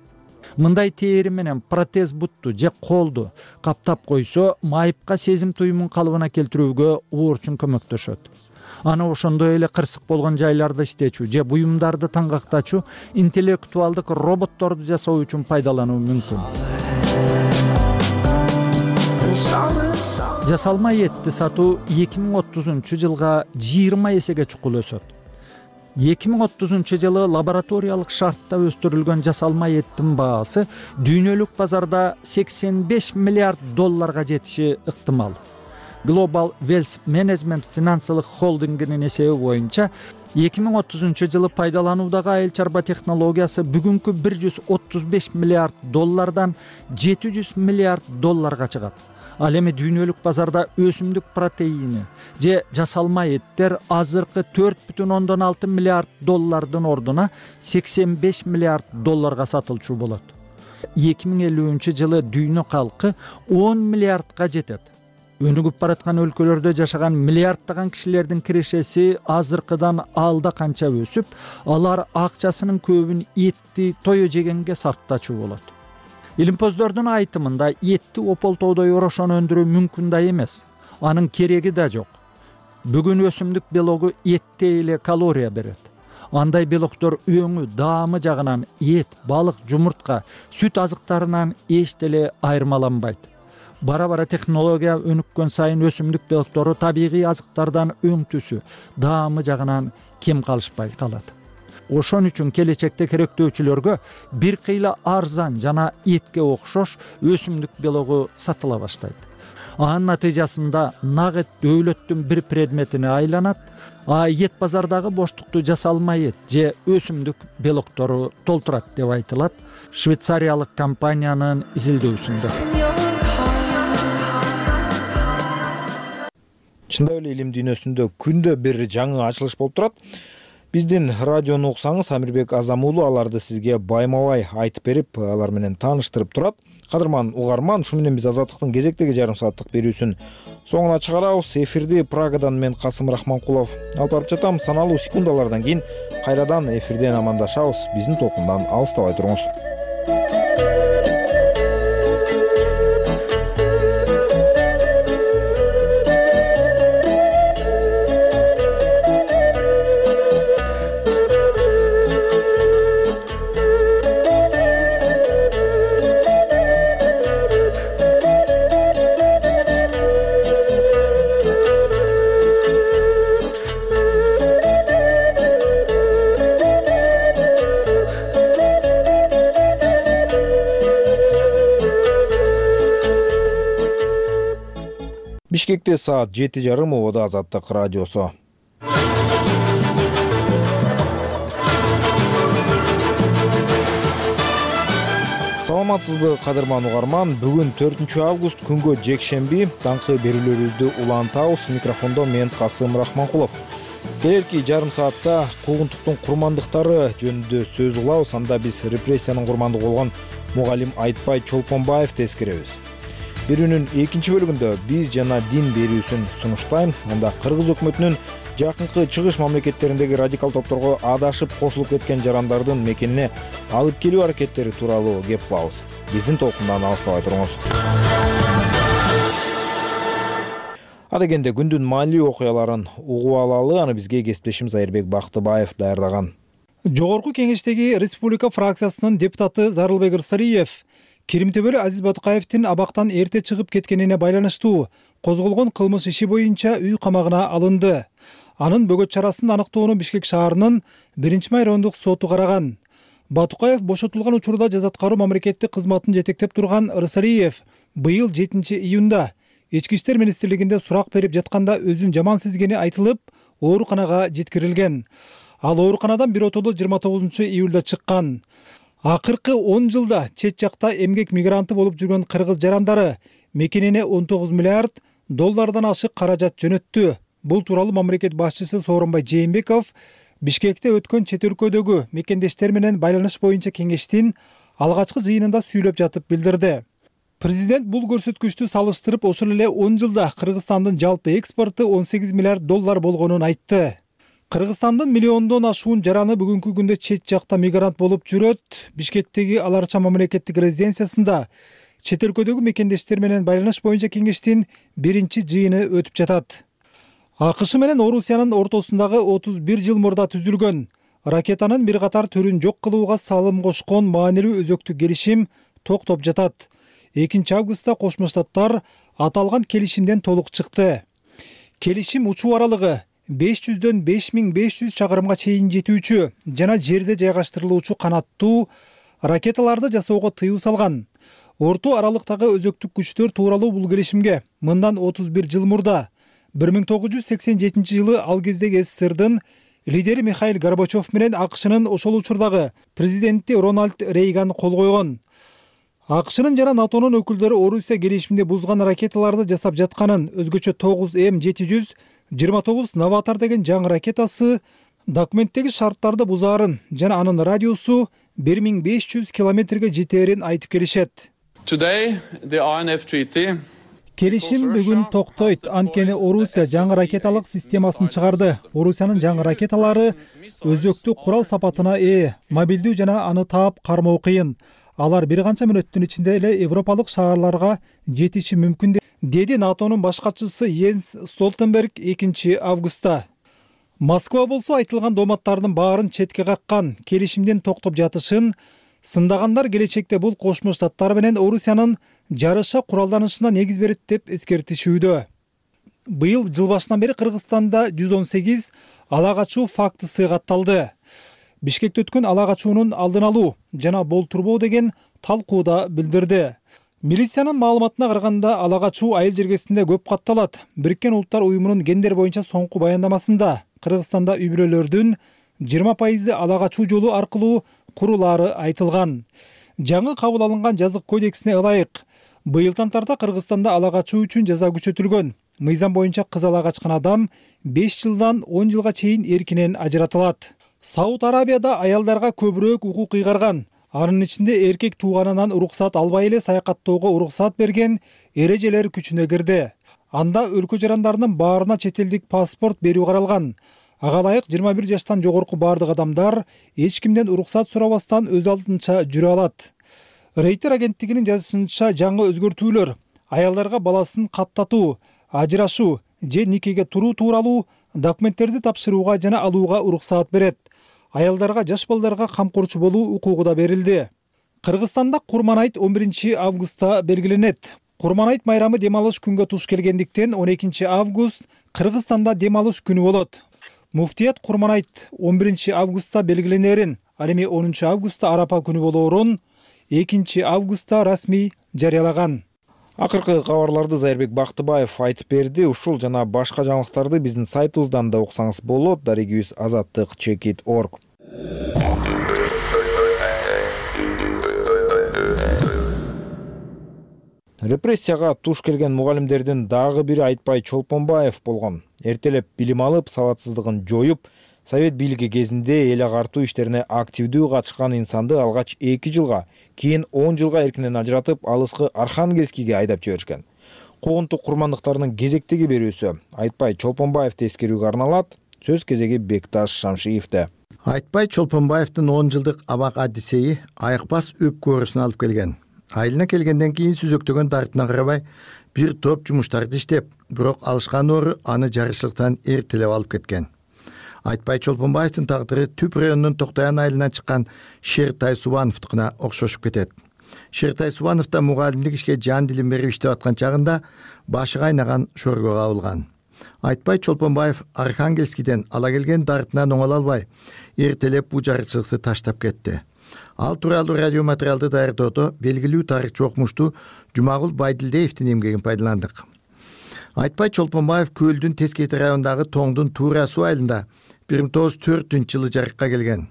Мындай тери менен протез бутту же колду каптап койсо, майыпка сезим туюмун калыбына келтирүүгө уурчун көмөктөшөт. Аны ошондой эле кырсык болгон жайларды иштечү же буюмдарды таңгактачу интеллектуалдык роботторду жасоо үчүн пайдалануу мүмкүн. Жасалма этти сатуу 2030 жылга 20 эсеге чукул өсөт. 2030 жылы лабораториялык шартта өстүрүлгөн жасалма эттин баасы дүйнөлүк базарда $85 миллиард жетиши ыктымал. Global Wealth Management финансылык холдингинин эсеби боюнча 2030 жылы пайдалануудагы айыл чарба технологиясы бүгүнкү $135 миллиард $700 миллиард чыгат. Ал эми дүйнөлүк базарда өсүмдүк протеини же жасалма эттер азыркы $4,6 миллиард ордуна $85 миллиард сатылчу болот. 2050 жылы дүйнө калкы 10 миллиардга жетет. Өнүгүп бараткан өлкөлөрдө жашаган миллиарддаган кишилердин кирешеси азыркыдан алда канча өсүп, алар акчасынын көбүн этти тое жегенге сарптачу болот. Илимпоздордун айтымында этти ополтоодой орошон өндүрүү мүмкүн да эмес. Анын кереги да жок. Бүгүн өсүмдүк белогу этте эле калория берет. Андай белоктор өңү, даамы жагынан эт, балык, жумуртка, сүт азыктарынан эч деле айырмаланбайт. Бара-бара технология өнүккөн сайын өсүмдүк белоктору табигый азыктардан өң түсү, даамы жагынан кем калышпай калат. Ошон үчүн келечекте керектөөчүлөргө бир кыйла арзан жана этке окшош өсүмдүк белогу сатыла баштайт. Анын натыйжасында нак эт дөөлөттүн бир предметине айланат, а эт базардагы боштукту жасалма эт же өсүмдүк белоктору толтурат деп айтылат швейцариялык компаниянын изилдөөсүндө. Чындап эле илим дүйнөсүндө күндө бир жаңы ачылыш болуп турат. Биздин радиону уксаңыз, Амирбек Азам уулу аларды сизге байма-бай айтып берип, алар менен тааныштырып турат. Кадырман угарман, ушу менен биз Азаттыктын кезектеги жарым сааттык берүүсүн соңуна чыгарабыз. Эфирди Прагадан мен Касым Рахманкулов алып барып жатам. Саналуу секундалардан кийин кайрадан эфирден амандашабыз. Биздин толкундан алыстабай туруңуз. Бишкекте саат 7:30 убада Азаттык радиосу. Саламатсызбы кадырман угарман, бүгүн 4 август күнгө жекшемби, таңкы берүүлөрүбүздү улантабыз. Микрофондо мен Касым Рахманкулов. Келерки жарым саатта куугунтуктун курмандыктары жөнүндө сөз кылабыз. Анда биз репрессиянын курмандыгы болгон мугалим Айтбай Чолпонбаевди эскеребиз. Берүүнүн экинчи бөлүгүндө биз жана дин берүүсүн сунуштайм. Анда Кыргыз өкмөтүнүн жакынкы чыгыш мамлекеттериндеги радикал топторго адашып кошулуп кеткен жарандардын мекенине алып келүү аракеттери тууралуу кеп кылабыз. Биздин толкундан алыстабай туруңуз. Адегенде күндүн маанилүү окуяларын угуп алалы. Аны бизге кесиптешим Айырбек Бактыбаев даярдаган. Жогорку кеңештеги Республика фракциясынын депутаты Зарылбек Ырсалиев Керимтөбөлү Азиз Батыкаевдин абактан эрте чыгып кеткенине байланыштуу козголгон кылмыш иши боюнча үй камагына алынды. Анын бөгөт чарасын аныктоону Бишкек шаарынын 1-май райондук соту караган. Батыкаев бошотулган учурда жаза аткаруу мамлекеттик кызматын жетектеп турган Ырсалиев быйыл 7-июнда Ички иштер министрлигинде сурак берип жатканда өзүн жаман сезгени айтылып, ооруканага жеткирилген. Ал ооруканадан биротоло 29-июлда чыккан. Акыркы 10 жылда чет жакта эмгек мигранты болуп жүргөн кыргыз жарандары мекенине 19 миллиард доллардан ашык каражат жөнөттү. Бул тууралуу мамлекет башчысы Сооронбай Жээнбеков Бишкекте өткөн чет өлкөдөгү мекендештер менен байланыш боюнча кеңештин алгачкы жыйынында сүйлөп жатып билдирди. Президент бул көрсөткүчтү салыштырып, ошол эле 10 жылда Кыргызстандын жалпы экспорту 18 миллиард доллар болгонун айтты. Кыргызстандын миллиондон ашуун жараны бүгүнкү күндө чет жакта мигрант болуп жүрөт. Бишкектеги Аларча мамлекеттик резиденциясында чет өлкөдөгү мекендештер менен байланыш боюнча кеңештин биринчи жыйыны өтүп жатат. АКШ менен Орусиянын ортосундагы 31 жыл мурда түзүлгөн ракетанын бир катар түрүн жок кылууга салым кошкон маанилүү өзөктүк келишим токтоп жатат. 2 августта Кошмо Штаттар аталган келишимден толук чыкты. Келишим учуу аралыгы 500дөн 5500 чакырымга чейин жетүүчү жана жерде жайгаштырылуучу канаттуу ракеталарды жасоого тыюу салган. Орто аралыктагы өзөктүк күчтөр тууралуу бул келишимге мындан 31 жыл мурда 1987 жылы ал кездеги СССРдын лидери Михаил Горбачев менен АКШнын ошол учурдагы президенти Рональд Рейган кол койгон. АКШнын жана НАТОнун өкүлдөрү Орусия келишимди бузган ракеталарды жасап жатканын, өзгөчө 9М729 Новатор деген жаңы ракетасы документтеги шарттарды бузаарын жана анын радиусу 1500 километрге жетээрин айтып келишет. Келишим бүгүн токтойт, анткени Орусия жаңы ракеталык системасын чыгарды. Орусиянын жаңы ракеталары өзөктүк курал сапатына ээ, мобилдүү жана аны таап кармоо кыйын. Алар бир канча мүнөттүн ичинде эле европалык шаарларга жетиши мүмкүн, деди НАТОнун баш катчысы Йенс Столтенберг 2 августта. Москва болсо айтылган дооматтардын баарын четке каккан, келишимден токтоп жатышын сындагандар келечекте бул Кошмо Штаттар менен Орусиянын жарыша куралданышына негиз берет деп эскертишүүдө. Быйыл жыл башынан бери Кыргызстанда 118 ала качуу фактысы катталды. Бишкекте өткөн ала качуунун алдын алуу жана болтурбоо деген талкууда билдирди. Милициянын маалыматына караганда ала качуу айыл жергесинде көп катталат. Бириккен Улуттар уюмунун гендер боюнча соңку баяндамасында Кыргызстанда үй-бүлөлөрдүн 20% ала качуу жолу аркылуу курулаары айтылган. Жаңы кабыл алынган жазык кодексине ылайык быйылдан тарта Кыргызстанда ала качуу үчүн жаза күчөтүлгөн. Мыйзам боюнча кыз ала качкан адам 5 жылдан 10 жылга чейин эркинен ажыратылат. Сауд Арабияда аялдарга көбүрөөк укук ыйгарган. Анын ичинде эркек тууганынан уруксат албай эле саякаттоого уруксат берген эрежелер күчүнө кирди. Анда өлкө жарандарынын баарына чет элдик паспорт берүү каралган. Ага ылайык 21 жаштан жогорку бардык адамдар эч кимден уруксат сурабастан өз алдынча жүрө алат. Рейтер агенттигинин жазышынча жаңы өзгөртүүлөр аялдарга баласын каттатуу, ажырашуу же никеге туруу тууралуу документтерди тапшырууга жана алууга уруксаат берет. Аялдарга жаш балдарга камкорчу болуу укугу да берилди. Кыргызстанда Курман-айт 11 августта белгиленет. Курман-айт майрамы дем алыш күнгө туш келгендиктен 12 август Кыргызстанда дем алыш күнү болот. Муфтият Курман-айт 11 августта белгиленерин, ал эми 10 августта Арапа күнү болоорун 2 августта расмий жарыялаган. Акыркы кабарларды Зайырбек Бактыбаев айтып берди. Ушул жана башка жаңылыктарды биздин сайтыбыздан да уксаңыз болот. Дарегибиз azattik.org. Репрессияга туш келген мугалимдердин дагы бири Айтпай Чолпонбаев болгон. Эртелеп билим алып, сабатсыздыгын жоюп, Совет бийлиги кезинде эл агартуу иштерине активдүү катышкан инсанды алгач 2 жылга, кийин 10 жылга эркинен ажыратып, алыскы Архангельскийге айдап жиберишкен. Куугунтук курмандыктарынын кезектеги берүүсү Айтпай Чолпонбаевди эскерүүгө арналат. Сөз кезеги Бекташ Шамшиевде. Айтпай Чолпонбаевдин 10 жылдык абак адисеи айыкпас өпкө оорусуна алып келген. Айылына келгенден кийин сүзөктөгөн дартына карабай бир топ жумуштарды иштеп, бирок алышкан оору аны жарышчылыктан эртелеп алып кеткен. Айтпай Чолпонбаевдин тагдыры Түп районунун Токтоян айылынан чыккан Шертай Субановдукуна окшошуп кетет. Шертай Субанов да мугалимдик ишке жан дилин берип иштеп аткан чагында башы кайнаган шорго кабылган. Айтпай Чолпонбаев Архангельскийден ала келген дартынан оңоло албай, эртелеп бул жарычылыкты таштап кетти. Ал тууралуу радио материалды даярдоодо белгилүү тарыхчы окумуштуу Жумагул Байдилдеевдин эмгегин пайдаландык. Айтпай Чолпонбаев Көлдүн Тескейти районундагы Тоңдун Туура суу айылында 1904-жылы жарыкка келген.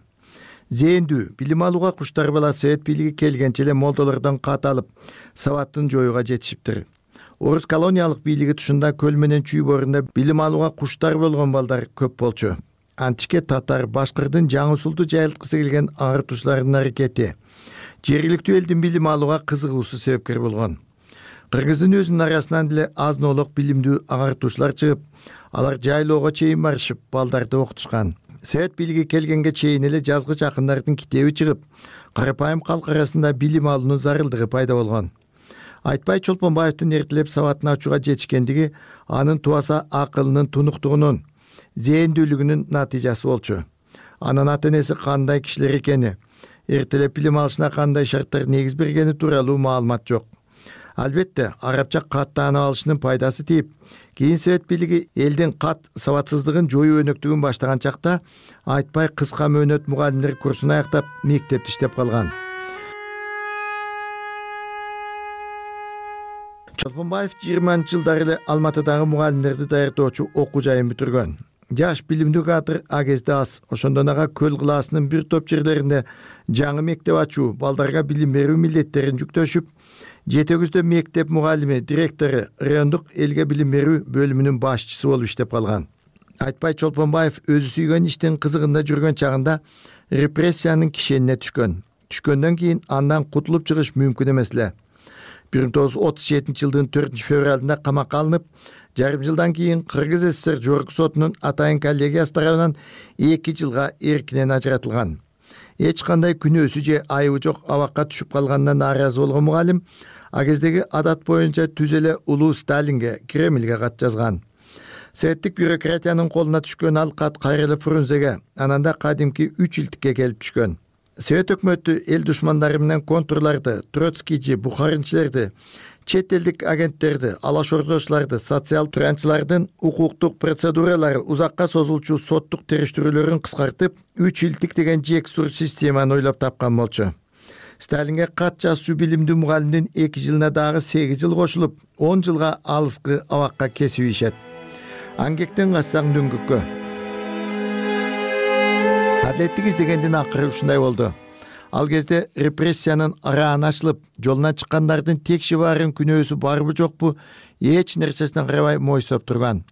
Зээндүү, билим алууга куштар бала Совет бийлиги келгенче эле молдолордон кат алып, сабаттын жоюуга жетишиптир. Орус колониялык бийлиги тушунда Көл менен Чүй боорунда билим алууга куштар болгон балдар көп болчу. Античке татар, башкырдын жаңы усулду жайылткысы келген агартуучулардын аракети жергиликтүү элдин билим алууга кызыгуусу себепкер болгон. Кыргыздын өзүнүн арасынан деле аз-нолок билимдүү агартуучулар чыгып, алар жайлоого чейин барышып, балдарды окутушкан. Совет бийлиги келгенге чейин эле жазгыч акындардын китеби чыгып, карапайым калк арасында билим алуунун зарылдыгы пайда болгон. Айтпай Чолпонбаевдин эртелеп сабатын ачууга жетишкендиги анын тубаса акылынын тунуктугунун, зээндүүлүгүнүн натыйжасы болчу. Анын ата-энеси кандай кишилер экени, эртелеп билим алышына кандай шарттар негиз бергени тууралуу маалымат жок. Албетте, арабча кат таанып алышынын пайдасы тийип, кийин Совет бийлиги элдин кат сабатсыздыгын жоюу өнөктүгүн баштаган чакта Айтпай кыска мөөнөт мугалимдер курсун аяктап, мектепте иштеп калган. Чолпонбаев 20-жылдары эле Алматыдагы мугалимдерди даярдоочу окуу жайын бүтүргөн. Жаш билимдүү кадр а кезде аз. Ошондон ага Көл кылаасынын бир топ жерлеринде жаңы мектеп ачуу, балдарга билим берүү милдеттерин жүктөшүп, Жетөгүздө мектеп мугалими, директору, райондук элге билим берүү бөлүмүнүн башчысы болуп иштеп калган. Айтпай Чолпонбаев өзү сүйгөн иштин кызыгында жүргөн чагында репрессиянын кишенине түшкөн. Түшкөндөн кийин андан кутулуп чыгыш мүмкүн эмес эле. 1937-жылдын 4-февралында камакка алынып, жарым жылдан кийин Кыргыз ССР жогорку сотунун атайын коллегиясы тарабынан 2 жылга эркинен ажыратылган. Эч кандай күнөөсү же айыбы жок абакка түшүп калганына нааразы болгон мугалим а кездеги адат боюнча түз эле улуу Сталинге, Кремльге кат жазган. Советтик бюрократиянын колуна түшкөн ал кат кайра эле Фрунзеге, анан да кадимки 3 илтикке келип түшкөн. Совет өкмөтү эл душмандары менен контурларды, троцкийчи, бухаринчилерди, чет элдик агенттерди, алаш ордочуларды, социал тыранчылардын укуктук процедуралары узакка созулчу соттук териштирүүлөрүн кыскартып, 3 илтик деген жексур системаны ойлоп тапкан болчу. Сталинге кат жазчу билимдүү мугалимдин 2 жылына дагы 8 жыл кошулуп, 10 жылга алыскы абакка кесип ийишет. Аңгектен кассаң дөңгөккө. Адилеттик издегендин акыры ушундай болду. Ал кезде репрессиянын арааны ачылып, жолуна чыккандардын текши баарын күнөөсү барбы жокпу, эч нерсесине карабай мойсоп турган.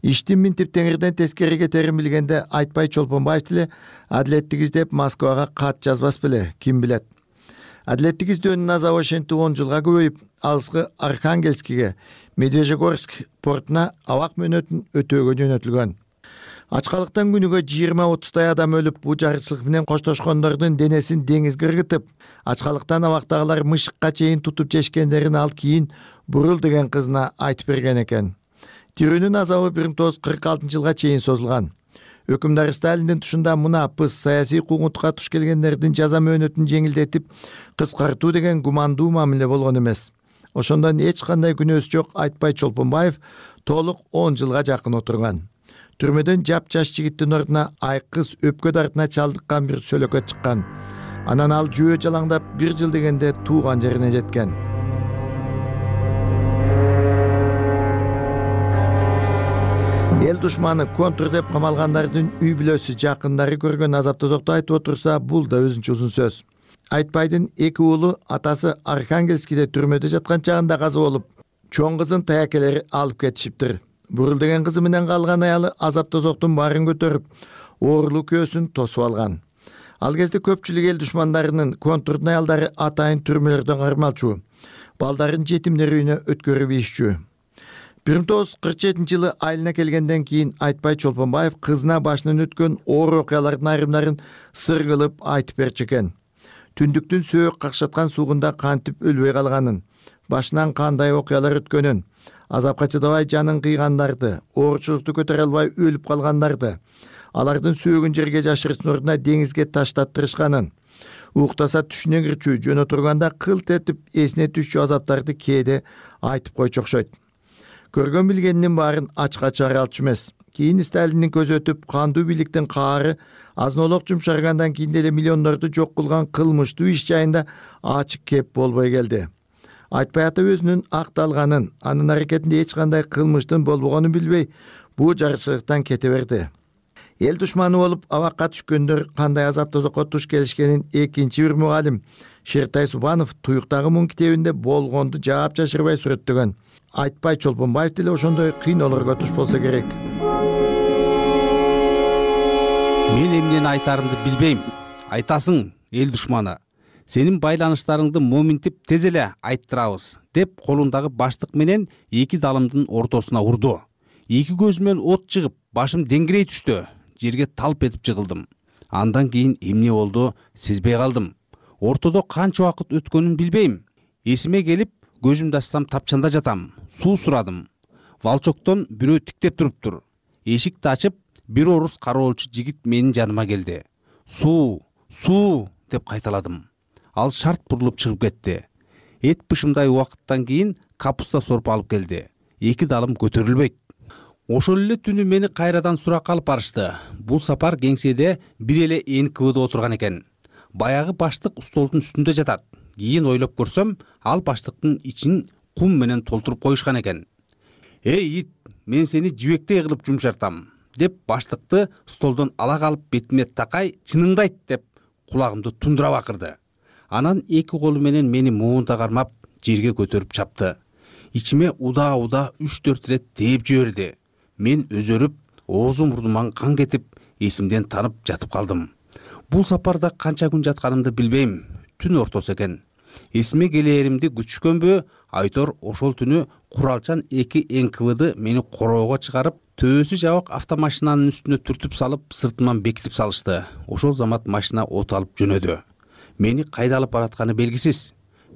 Иштин минтип теңирден тескери кетерин билгенде Айтпай Чолпонбаев деле адилеттик издеп Москвага кат жазбас беле, ким билет. Адилеттик издөөнүн азабы ошентип 10 жылга көбөйүп, алыскы Архангельскийге, Медвежьегорск портуна абак мөөнөтүн өтөөгө жөнөтүлгөн. Ачкалыктан күнүгө 20-30 адам өлүп, бул жарычылык менен коштошкондордун денесин деңизге ыргытып, ачкалыктан абактагылар мышыкка чейин тутуп жешкендерин ал кийин Бурул деген кызына айтып берген экен. Тирүүнүн азабы 1946-жылга чейин созулган. Өкүмдар Сталиндин тушунда мунапыс, саясий куугунтукка туш келгендердин жаза мөөнөтүн жеңилдетип, кыскартуу деген гумандуу мамиле болгон эмес. Ошондон эч кандай күнөөсү жок Айтпай Чолпонбаев толук 10 жылга жакын отурган. Түрмөдөн жап-жаш жигиттин ордуна айкыз өпкө дартына чалдыккан бир сөлөкөт чыккан. Анан ал жөө жалаңдап 1 жыл дегенде тууган жерине жеткен. эл душманы контр деп камалгандардын үй бүлөсү жакындары көргөн азап тозокту айтып отурса, бул да өзүнчө узун сөз. Айтбайдын 2 уулу атасы Архангельскийде түрмөдө жаткан чагында каза болуп, чоң кызын таякелери алып кетишиптир. Бурул деген кызы менен калган аялы азап тозоктун баарын көтөрүп, оорулуу көөсүн тосуп алган. Ал кезде көпчүлүк эл душмандарынын контрдун аялдары атайын түрмөлөрдөн кармалчу, балдарын жетимдер үйүнө өткөрүп ийишчү. 1947-жылы айылына келгенден кийин Айтбай Чолпонбаев кызына башынан өткөн оор окуялардын айрымдарын сыр кылып айтып берчү экен. Түндүктүн сөөк какшаткан суугунда кантип өлбөй калганын, башынан кандай окуялар өткөнүн, азапка чыдабай жанын кыйгандарды, оорчулукту көтөрө албай өлүп калгандарды, алардын сөөгүн жерге жашырыштын ордуна деңизге таштаттырышканын, уктаса түшүнө кирчү, жөн отурганда кылт этип эсине түшчү азаптарды кээде айтып койчу окшойт. Көргөн билгенинин баарын ачка чыгара алчу эмес. Кийин Сталиндин көзү өтүп, кандуу бийликтин каары азнолок жумшаргандан кийин деле миллиондорду жок кылган кылмыштуу иш жайында ачык кеп болбой келди. Айтбай ата өзүнүн акталганын, анын аракетинде эч кандай кылмыштын болбогонун билбей, бул жарычылыктан кете берди. Эл душманы болуп абакка түшкөндөр кандай азап тозокко туш келишкенин экинчи бир мугалим Шертай Субанов Туюктагы муң китебинде болгонду жаап жашырбай сүрөттөгөн. Айтбай Чолпонбаев деле ошондой кыйноолорго туш болсо керек. Мен эмнени айтарымды билбейм. Айтасың, эл душманы. Сенин байланыштарыңды моминтип тез эле айттырабыз, деп колундагы баштык менен 2 далымдын ортосуна урду. 2 көзүмөн от чыгып, башым деңгирей түштү. Жерге талп этип жыгылдым. Андан кийин эмне болду, сезбей калдым. Ортодо канча убакыт өткөнүн билбейм. Эсиме келип, көзүмдү ачсам тапчанда жатам. Суу сурадым. Валчоктон бирөө тиктеп туруптур. Эшикти ачып, бир орус кароолчу жигит менин жаныма келди. Суу, суу деп кайталадым. Ал шарт бурулуп чыгып кетти. Эт бышымдай убакыттан кийин капуста сорпу алып келди. 2 далым көтөрүлбөйт. Ошол эле түнү мени кайрадан суракка алып барышты. Бул сапар кеңседе бир эле НКВД отурган экен. Баягы баштык столдун үстүндө жатат. Кийин ойлоп көрсөм, ал баштыктын ичин кум менен толтуруп коюшкан экен. Эй ит, мен сени жибектей кылып жумшартам, деп баштыкты столдон ала калып бетиме такай, чыныңды айт деп кулагымды тундура бакырды. Анан 2 колу менен мени муунта кармап жерге көтөрүп чапты. Ичиме уда 3-4 рет тээп жиберди. Мен өзөрүп, оозум мурдуман кан кетип, эсимден танып жатып калдым. Бул сапарда канча күн жатканымды билбейм. Түн ортосу экен. Эсиме келээримди күтүшкөнбү, Айтор ошол түнү куралчан 2 НКВД мени короого чыгарып, төбөсү жабык автомашинанын үстүнө түртүп салып, сыртыман бекитип салышты. Ошол замат машина от алып жөнөдү. Мени кайда алып баратканы белгисиз.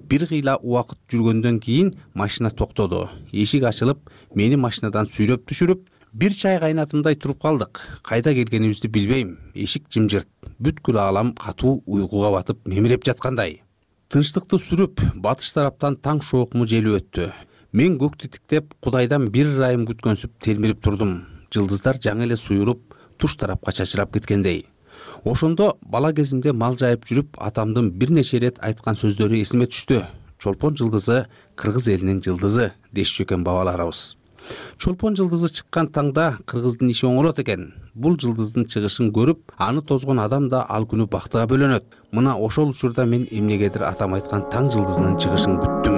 Бир кыйла убакыт жүргөндөн кийин машина токтоду. Эшик ачылып, мени машинадан сүйрөп түшүрүп, бир чай кайнатымдай туруп калдык. Кайда келгенибизди билбейм. Эшик жымжырт. Бүткүл аалам катуу уйкуга батып мемиреп жаткандай. Тынчтыкты сүрүп, батыш тараптан таң шоокму желип өттү. Мен көктү тиктеп, Кудайдан бир ырайым күткөнсүп телмирип турдум. Жылдыздар жаңы эле суйруп, туш тарапка чачырап кеткендей. Ошондо бала кезимде мал жайып жүрүп, атамдын бир нече рет айткан сөздөрү эсиме түштү. Чолпон жылдызы кыргыз элинин жылдызы дешчү экен бабаларыбыз. Чолпон жылдызы чыккан таңда кыргыздын иши оңолот экен. Бул жылдыздын чыгышын көрүп, аны тозгон адам да ал күнү бактыга бөлөнөт. Мына ошол учурда мен эмнегедир атам айткан таң жылдызынын чыгышын күттүм.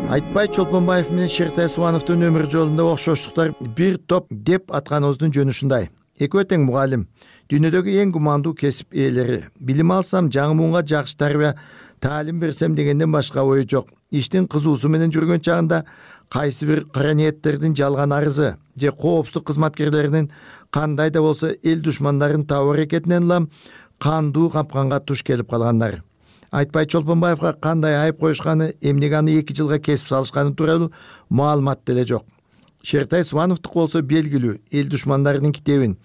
Айтбай Чолпонбаев менен Шертай Субановдун өмүр жолунда окшоштуктар бир топ деп атканыбыздын жөнү ушундай. Экөө тең мугалим, дүйнөдөгү эң гумандуу кесип ээлери. Билим алсам, жаңы муунга жакшы тарбия, таалим берсем дегенден башка ою жок. Иштин кызуусу менен жүргөн чагында кайсы бир кара ниеттердин жалган арызы же коопсуздук кызматкерлеринин кандай да болсо эл душмандарын табуу аракетинен улам кандуу капканга туш келип калгандар. Айтбай Чолпонбаевга кандай айып коюшканы, эмнеге аны 2 жылга кесип салышканы тууралуу маалымат деле жок. Шертай Субановдук болсо белгилүү эл душмандарынын китебин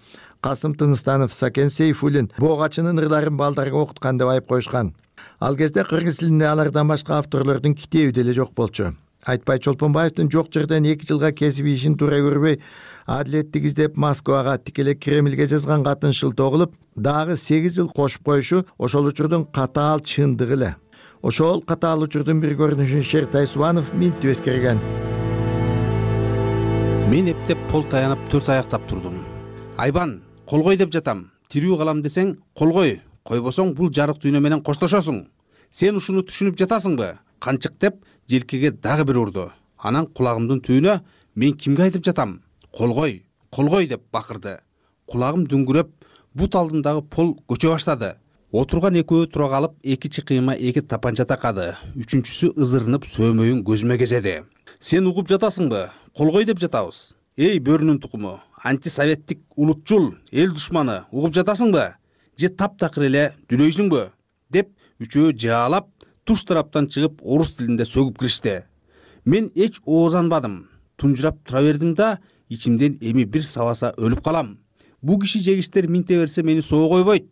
Касым Тыныстанов, Сакен Сейфуллин Богачынын ырларын балдарга окуткан деп айып коюшкан. Ал кезде кыргыз тилинде алардан башка авторлордун китеби деле жок болчу. Айтбай Чолпонбаевдин жок жерден 2 жылга кесип ишин туура көрбөй, адилеттик издеп Москвага, тикелей Кремльге жазган катын шылтоо кылып, дагы 8 жыл кошуп коюшу ошол учурдун катаал чындыгы эле. Ошол катаал учурдун бир көрүнүшүн Шертай Субанов минтип эскерген. Мен эптеп пол таянып 4 аяктап турдум. Айбан, колгой деп жатам. Тирүү калам десең, колгой. Койбосоң бул жарык дүйнө менен коштошосуң. Сен ушуну түшүнүп жатасыңбы? Канчык деп желкеге дагы бир урду. Анан кулагымдын түбүнө мен кимге айтып жатам? Колгой, колгой деп бакырды. Кулагым дүңгүрөп, бут алдындагы пол көчө баштады. Отурган экөө тура калып, 2 чыкыйма 2 тапанча такады. Үчүнчүсү ызырынып сөмөйүн көзүмө кезеди. Сен угуп жатасыңбы? Колгой деп жатабыз. Эй бөрүнүн тукуму, антисоветтик улутчул, эл душманы, угуп жатасыңбы? Же таптакыр эле дүлөйсүңбү? Деп үчөө жаалап, туш тараптан чыгып орус тилинде сөгүп киришти. Мен эч оозанбадым. Тунжурап тура бердим да, ичимден эми бир сабаса өлүп калам. Бу киши жегиштер минте берсе мени соо койбойт.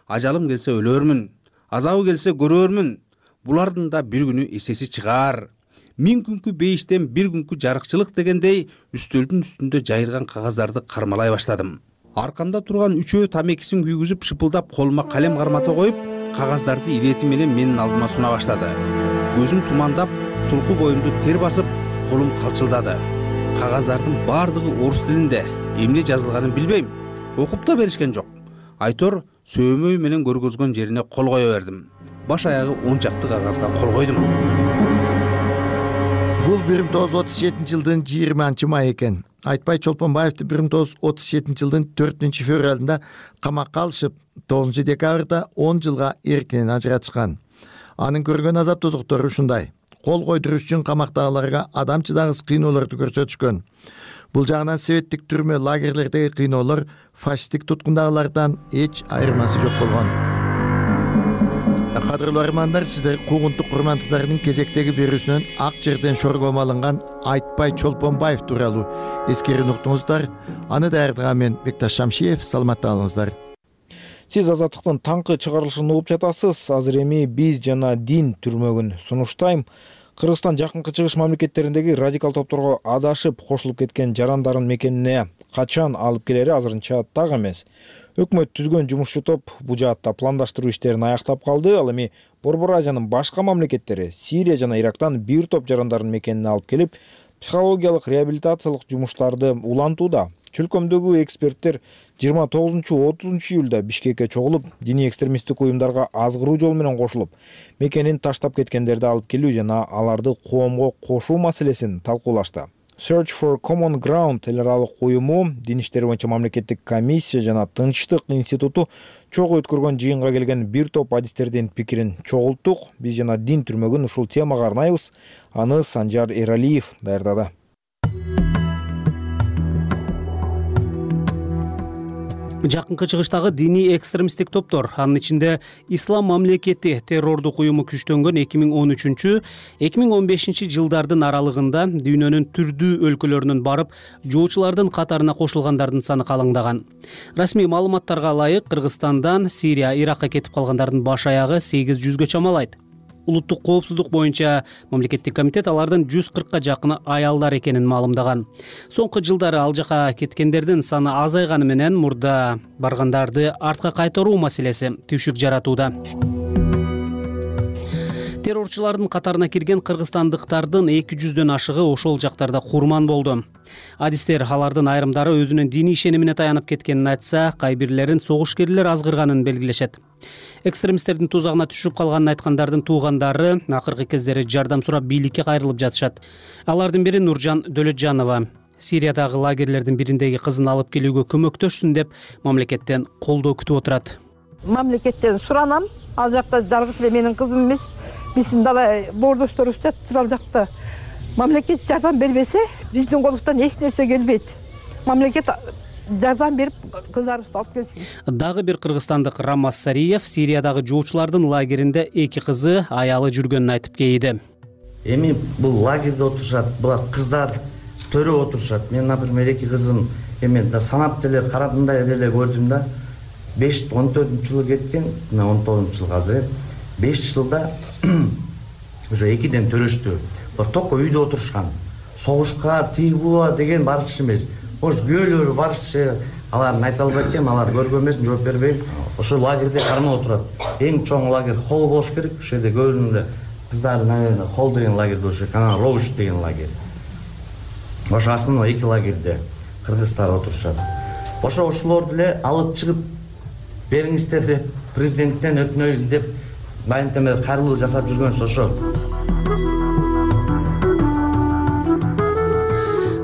Ажалым келсе өлөрмүн, азабы келсе көрөрмүн. Булардын да бир күнү эсеси чыгаар. 1000 күнкү бейиштен бир күнкү жарыкчылык дегендей үстөлдүн үстүндө жайырган кагаздарды кармалай баштадым. Аркамда турган үчөө тамекисин күйгүзүп шыпылдап колума калем кармата коюп, кагаздарды ирети менен менин алдыма суна баштады. Көзүм тумандап, тулку боюмду тер басып, колум калчылдады. Кагаздардын баардыгы орус тилинде, эмне жазылганын билбейм. Окуп да беришкен жок. Айтор сөмөй менен көргөзгөн жерине кол кое бердим. Баш аягы 10 чакты кагазга кол койдум. Бул 1937 жылдын 20 май экен. Айтбай Чолпонбаевди 1937 жылдын 4 февралында камакка алышып, 9 декабрда 10 жылга эркинен ажыратышкан. Анын көргөн азап тозоктору ушундай. Кол койдуруш үчүн камактагыларга адамчыдагыс кыйноолорду көрсөтүшкөн. Бул жагынан советтик түрмө лагерлердеги кыйноолор фашисттик туткундагылардан эч айырмасы жок болгон. Кадырлуу армандар, сиздер куугунтук курмандыктардын кезектеги берүүсүнөн ак жерден шоргом алынган Айтбай Чолпонбаев тууралуу эскерүүнү уктуңуздар. Аны даярдаган мен Бекташ Шамшиев. Саламатта калыңыздар. Сиз Азаттыктын таңкы чыгарылышын угуп жатасыз. Азыр эми биз жана дин түрмөгүн сунуштайм. Кыргызстан жакынкы чыгыш мамлекеттериндеги радикал топторго адашып кошулуп кеткен жарандардын мекенине качан алып келери азырынча так эмес. Өкмөт түзгөн жумушчу топ бул жаатта пландаштыруу иштерин аяктап калды. Ал эми Борбор Азиянын башка мамлекеттери Сирия жана Ирактан бир топ жарандардын мекенине алып келип, психологиялык реабилитациялык жумуштарды улантууда. Чөлкөмдөгү эксперттер 29-30 июлда Бишкекке чогулуп, диний экстремисттик уюмдарга азгыруу жолу менен кошулуп, мекенин таштап кеткендерди алып келүү жана аларды коомго кошуу маселесин талкуулашты. Search for Common Ground эл аралык уюму, дин иштери боюнча мамлекеттик комиссия жана Тынчтык институту чогуу өткөргөн жыйынга келген бир топ адистердин пикирин чогулттук. Биз жана дин түрмөгүн ушул темага арнайбыз. Аны Санжар Эралиев даярдады. Жакынкы чыгыштагы диний экстремисттик топтор, анын ичинде Ислам мамлекети террордук уюму күчтөнгөн 2013-2015 жылдардын аралыгында дүйнөнүн түрдүү өлкөлөрүнөн барып, жоочулардын катарына кошулгандардын саны калыңдаган. Расмий маалыматтарга ылайык, Кыргызстандан Сирия, Иракка кетип калгандардын баш аягы 800гө чамалайт. Улуттук коопсуздук боюнча мамлекеттик комитет алардын 140ка жакыны аялдар экенин маалымдаган. Соңку жылдары ал жака кеткендердин саны азайганы менен мурда баргандарды артка кайтаруу маселеси түйшүк жаратууда. Террорчулардын катарына кирген кыргызстандыктардын 200дөн ашыгы ошол жактарда курман болду. Адистер алардын айрымдары өзүнүн диний ишенимине таянып кеткенин айтса, кай бирлерин согушкерлер азгырганын белгилешет. Экстремисттердин тузагына түшүп калганын айткандардын туугандары акыркы кездери жардам сурап бийликке кайрылып жатышат. Алардын бири Нуржан Дөлөтжанова. Сириядагы лагерлердин бириндеги кызын алып келүүгө көмөктөшсүн деп мамлекеттен колдоо күтүп отурат. Мамлекеттен суранам. Ал жакта жалгыз эле менин кызым эмес, биздин дала боордошторубуз жатыр ал жакта. Мамлекет жардам бербесе, биздин колуктан эч нерсе келбейт. Мамлекет жардам берип кыздарыбызды алып келсин. Дагы бир кыргызстандык Рамаз Сариев Сириядагы жоочулардын лагеринде 2 кызы, аялы жүргөнүн айтып кейди. Эми бул лагерде отурушат, булар кыздар төрө отурушат. Мен, например, 2 кызым эми санап деле карап мындай деле көрдүм да. 14 жылы кеткен, 19 жыл азыр. 5 жылда уже 2ден төрөштү. Токко үйдө отурушкан. Согушка тийбуа деген барчы эмес. Может, күйөөлөрү барчы, алардын айта албайт экен, алар көргөн эмес, жооп бербейм. Ошо лагерде кармап отурат. Эң чоң лагерь холл болуш керек. Ошол жерде көбүнө кыздардын холл деген лагерь болуш керек. Анан роуш деген лагерь. ошо основной 2 лагерьде кыргыздар отурушат. Ошо ушулорду эле алып чыгып бериңиздер деп президенттен өтүнөлү деп баяндамада кайрылуу жасап жүргөнсү ошол.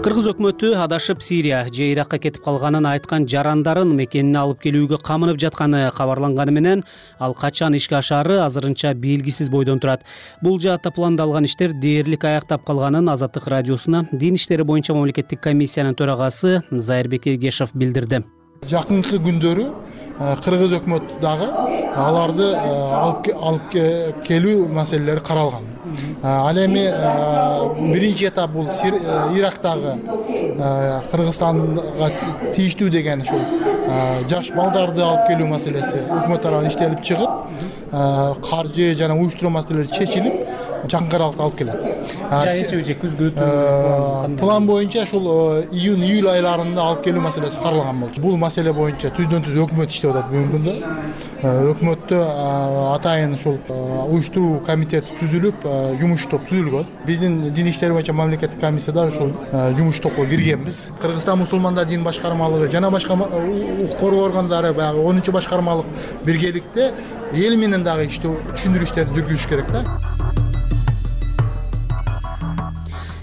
Кыргыз өкмөтү адашып Сирия же Иракка кетип калганын айткан жарандарын мекенине алып келүүгө камынып жатканы кабарланганы менен ал качан ишке ашаары азырынча белгисиз бойдон турат. Бул жаатта пландалган иштер дээрлик аяктап калганын Азаттык радиосуна Дин иштери боюнча мамлекеттик комиссиянын төрагасы Зайырбек Эргешев билдирди. Жакынкы күндөрү Кыргыз өкмөтү дагы аларды алып келүү маселелери каралган. Ал эми биринчи этап бул Ирактагы Кыргызстанга тийиштүү деген ушул жаш балдарды алып келүү маселеси өкмөт тарабынан иштелип чыгып, каржы жана уюштуруу маселелери чечилип, жакын аралыкта алып келет. Жайчы же күзгү план боюнча ушул июнь-июль айларында алып келүү маселеси каралган болчу. Бул маселе боюнча түздөн-түз өкмөт иштеп атат бүгүнкү күндө. Өкмөттө атайын ушул уюштуруу комитети түзүлүп, жумуш топ түзүлгөн. Биздин Дин иштери боюнча мамлекеттик комиссияда ушул жумуш топко киргенбиз. Кыргызстан мусулмандар дин башкармалыгы жана башка укук коргоо органдары баягы 10-чу башкармалык биргеликте эл менен дагы иштөө түшүндүрүү иштерин жүргүзүш керек да.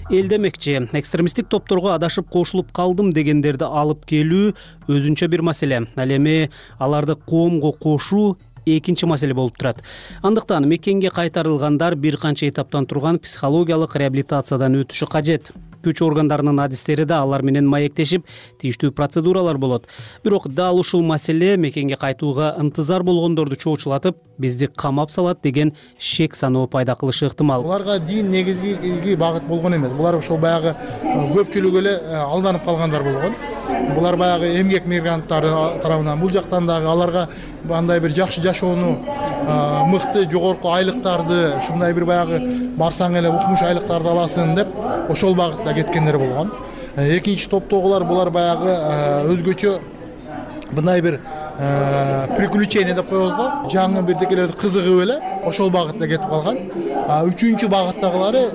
Эл демекчи, экстремисттик топторго адашып кошулуп калдым дегендерди алып келүү өзүнчө бир маселе. Ал эми аларды коомго кошуу экинчи маселе болуп турат. Андыктан мекенге кайтарылгандар бир канча этаптан турган психологиялык реабилитациядан өтүшү кажет. Күч органдарынын адистери да алар менен маектешип, тийиштүү процедуралар болот. Бирок дал ушул маселе мекенге кайтууга ынтызар болгондорду чоочулатып, бизди камап салат деген шек саноо пайда кылышы ыктымал. Буларга дин негизги багыт болгон эмес. Булар ошол баягы көпчүлүгү эле алданып калгандар болгон. Булар баягы эмгек мигранттары тарабынан бул жактан дагы аларга андай бир жакшы жашоону, мыкты жогорку айлыктарды, ушундай бир баягы барсаң эле укмуш айлыктарды аласың деп ошол багытта кеткендер болгон. Экинчи топтогулар булар баягы өзгөчө мындай бир приключение деп коебуз го, жаңы бирдекелерди кызыгып эле ошол багытта кетип калган. Үчүнчү багыттагылары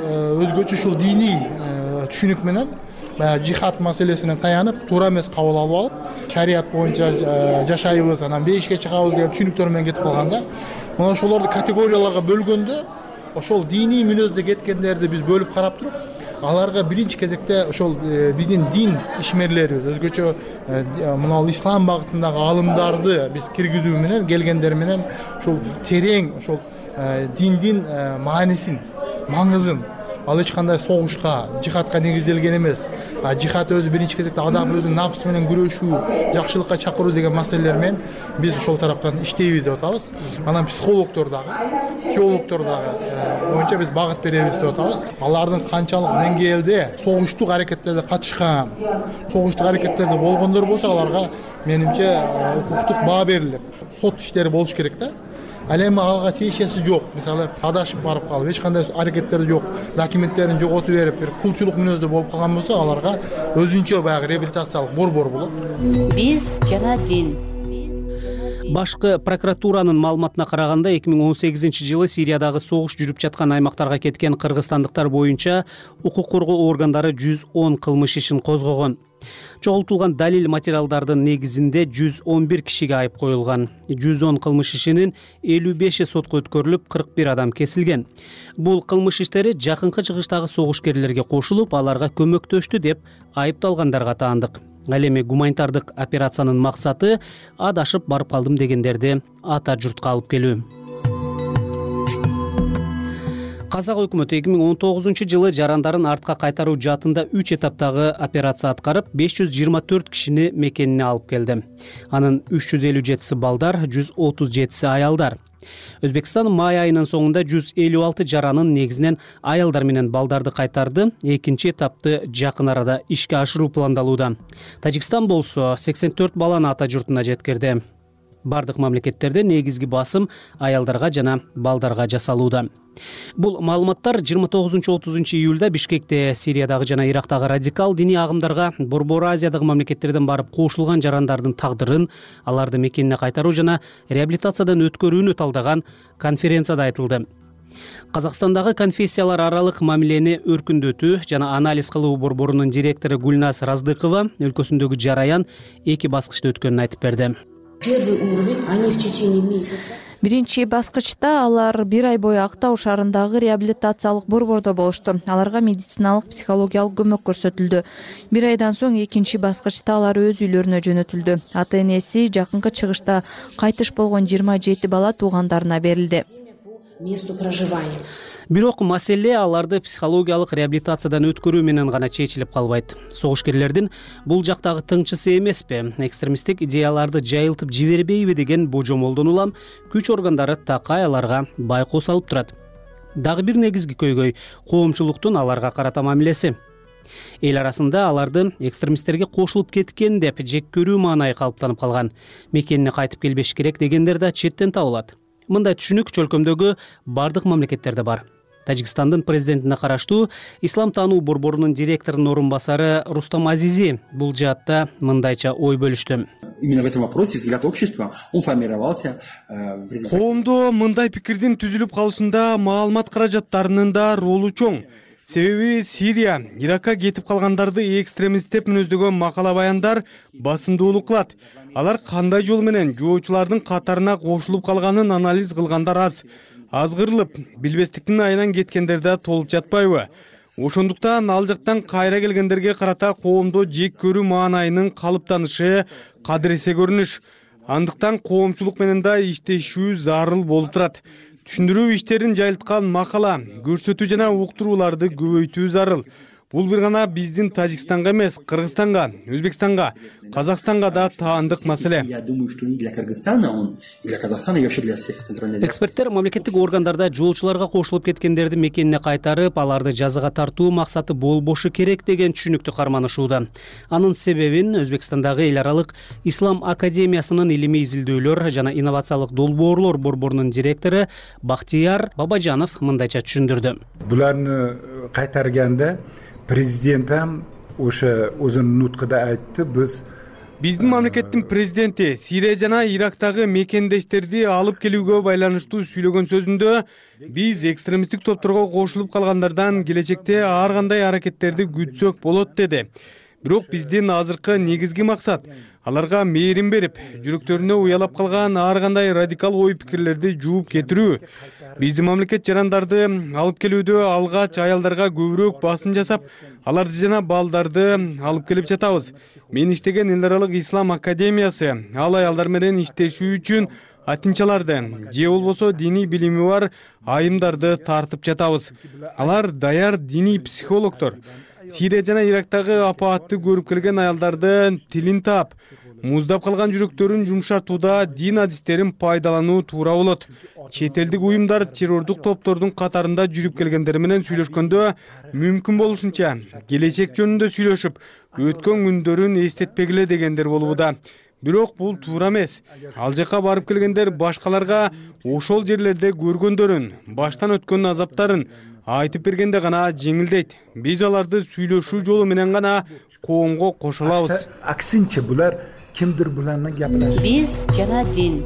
өзгөчө ушул диний түшүнүк менен жихад маселесине таянып, туура эмес кабыл алып алып, шарият боюнча жашайбыз, анан бейишке чыгабыз деген түшүнүктөр менен кетип калганда, мына ошолорду категорияларга бөлгөндө, ошол диний мүнөздө кеткендерди биз бөлүп карап туруп, аларга биринчи кезекте ошол биздин дин ишмерлерибиз, өзгөчө мына ислам багытындагы алымдарды биз киргизүү менен, келгендер менен ушул терең ошол диндин маанисин, маңызын, ал эч кандай согушка, жихадка негизделген эмес. Жихад өзү биринчи кезекте адам өзүнүн напсы менен күрөшүү, жакшылыкка чакыруу деген маселелер менен биз ошол тараптан иштейбиз деп атабыз. Анан психологдор дагы, теологдор дагы боюнча биз багыт беребиз деп атабыз. Алардын канчалык деңгээлде согуштук аракеттерде катышкан, согуштук аракеттерде болгондор болсо, аларга менимче укуктук баа берилип, сот иштери болуш керек да. Ал эми ага тиешеси жок. Мисалы, адашып барып калып, эч кандай аракеттери жок, документтерин жоготуп берип, бир кулчулук мүнөздө болуп калган болсо, аларга өзүнчө баягы реабилитациялык борбор болот. Биз жана дин. Башкы прокуратуранын маалыматына караганда 2018-жылы Сириядагы согуш жүрүп жаткан аймактарга кеткен кыргызстандыктар боюнча укук коргоо органдары 110 кылмыш ишин козгогон. Чогултулган далил материалдардын негизинде 111 кишиге айып коюлган. 110 кылмыш ишинин 55 сотко өткөрүлүп, 41 адам кесилген. Бул кылмыш иштери жакынкы чыгыштагы согушкерлерге кошулуп, аларга көмөктөштү деп айыпталгандарга таандык. Ал эми гуманитардык операциянын максаты адашып барып калдым дегендерди ата журтка алып келүү. Казак өкмөтү 2019-жылы жарандарын артка кайтаруу жаатында 3 этаптагы операция аткарып, 524 кишини мекенине алып келди. Анын 357-си балдар, 137-си аялдар. Өзбекстан май айынын соңунда 156 жаранын негизинен аялдар менен балдарды кайтарды. Экинчи этапты жакын арада ишке ашыруу пландалууда. Тажикстан болсо 84 баланы ата журтуна жеткирди. Бардык мамлекеттерде негизги басым аялдарга жана балдарга жасалууда. Бул маалыматтар 29-30 июлда Бишкекте Сириядагы жана Ирактагы радикал диний агымдарга Борбор Азиядагы мамлекеттерден барып кошулган жарандардын тагдырын, аларды мекенине кайтаруу жана реабилитациядан өткөрүүнү талдаган конференцияда айтылды. Казакстандагы конфессиялар аралык мамилени өркүндөтүү жана анализ кылуу борборунун директору Гульназ Раздыкова өлкөсүндөгү жараян 2 баскычта өткөнүн айтып берди. Первый уровень они в течение месяца. Биринчи баскычта алар 1 ай бою Актау шаарындагы реабилитациялык борбордо болушту. Аларга медициналык, психологиялык көмөк көрсөтүлдү. 1 айдан соң экинчи баскычта алар өз үйлөрүнө жөнөтүлдү. Ата-энеси жакынкы чыгышта кайтыш болгон 27 бала туугандарына берилди. Месту проживания. Бирок маселе аларды психологиялык реабилитациядан өткөрүү менен гана чечилип калбайт. Согушкерлердин бул жактагы тыңчысы эмеспи, экстремисттик идеяларды жайылтып жибербейби деген божомолдон улам күч органдары такай аларга байкоо салып турат. Дагы бир негизги көйгөй коомчулуктун аларга карата мамилеси. Эл арасында аларды экстремисттерге кошулуп кеткен деп жек көрүү маанайы калыптанып калган. Мекенине кайтып келбеш керек дегендер да четтен табылат. Мындай түшүнүк чөлкөмдөгү бардык мамлекеттерде бар. Тажикстандын президентине караштуу Ислам таануу борборунун директорунун орун басары Рустам Азизи бул жаатта мындайча ой бөлүштү. Именно в этом вопросе взгляд общества он формировался. Коомдо мындай пикирдин түзүлүп калышында маалымат каражаттарынын да ролу чоң. Себеби Сирия, Иракка кетип калгандарды экстремист деп мүнөздөгөн макала баяндар басымдуулук кылат. Алар кандай жол менен жоочулардын катарына кошулуп калганын анализ кылгандар аз. Азгырылып, билбестиктин айынан кеткендер да толуп жатпайбы? Ошондуктан ал жактан кайра келгендерге карата коомдо жек көрүү маанайынын калыптанышы кадыресе көрүнүш. Андыктан коомчулук менен да иштешүү зарыл болуп турат. Түшүндүрүү иштерин жайылткан макала, көрсөтүү жана уктурууларды көбөйтүү зарыл. Бул бир гана биздин Тажикстанга эмес, Кыргызстанга, Өзбекстанга, Казакстанга да таандык маселе. Я думаю, что и для Кыргызстана, он и для Казахстана, и вообще для всех центральных. Эксперттер мамлекеттик органдарда жоочуларга кошулуп кеткендерди мекенине кайтарып, аларды жазага тартуу максаты болбошу керек деген түшүнүктү карманышууда. Анын себебин Өзбекстандагы эл аралык Ислам академиясынын илимий изилдөөлөр жана инновациялык долбоорлор борборунун директору Бактияр Бабажанов мындайча түшүндүрдү. Буларны кайтарганда президентам ошо өзүнүн нуткуда айтты, биздин мамлекеттин президенти Сирия жана Ирактагы мекендештерди алып келүүгө байланыштуу сүйлөгөн сөзүндө биз экстремисттик топторго кошулуп калгандардан келечекте ар кандай аракеттерди күтсөк болот деди. Бирок биздин азыркы негизги максат аларга мээрим берип, жүрөктөрүнө уялап калган ар кандай радикал ой пикирлерди жууп кетирүү. Биздин мамлекет жарандарды алып келүүдө алгач аялдарга көбүрөөк басым жасап, аларды жана балдарды алып келип жатабыз. Мен иштеген эл аралык Ислам академиясы ал аялдар менен иштешүү үчүн атинчаларды же болбосо диний билими бар айымдарды тартып жатабыз. Алар даяр диний психологдор. Сирия жана Ирактагы апаатты көрүп келген аялдардын тилин таап, муздап калган жүрөктөрүн жумшартууда дин адистерин пайдалануу туура болот. Чет элдик уюмдар террордук топтордун катарында жүрүп келгендер менен сүйлөшкөндө мүмкүн болушунча келечек жөнүндө сүйлөшүп, өткөн күндөрүн эстетпегиле дегендер болууда. Бирок бул туура эмес. Ал жака барып келгендер башкаларга ошол жерлерде көргөндөрүн, баштан өткөн азаптарын айтып бергенде гана жеңилдейт. Биз аларды сүйлөшүү жолу менен гана коомго кошулабыз. Аксинче булар кимдир буларны гапылашат. Биз жана дин.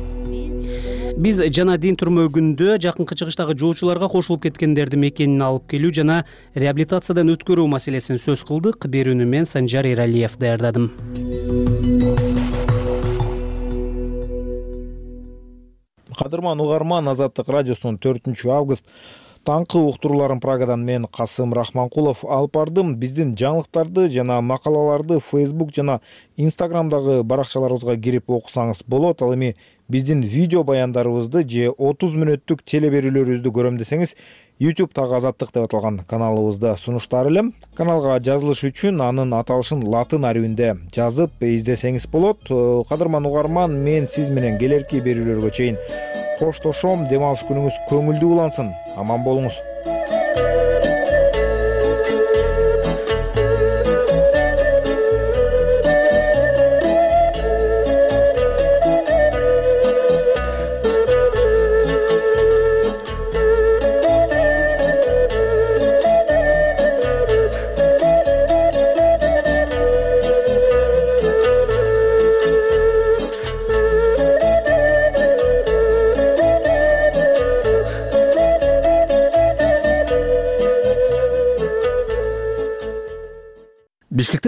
Биз жана дин түрмөгүндө жакынкы чыгыштагы жоочуларга кошулуп кеткендерди мекенине алып келүү жана реабилитациядан өткөрүү маселесин сөз кылдык. Берүүнү мен Санжар Эралиев даярдадым. Кадырман угарман, Азаттык радиосунун 4 август таңкы уктурууларын Прагадан мен Касым Рахманкулов алып бардым. Биздин жаңылыктарды жана макалаларды Facebook жана Instagramдагы баракчаларыбызга кирип окусаңыз болот. Ал эми биздин видео баяндарыбызды же 30 мүнөттүк телеберүүлөрүбүздү көрөм десеңиз, YouTube'дагы Азаттык деп аталган каналыбызда сунуштар элем. Каналга жазылыш үчүн анын аталышын латын арабинде жазып издесеңиз болот. Кадырман угарман, мен сиз менен келерки берүүлөргө чейин коштошом. Дем алыш күнүңүз көңүлдүү улансын. Аман болуңуз.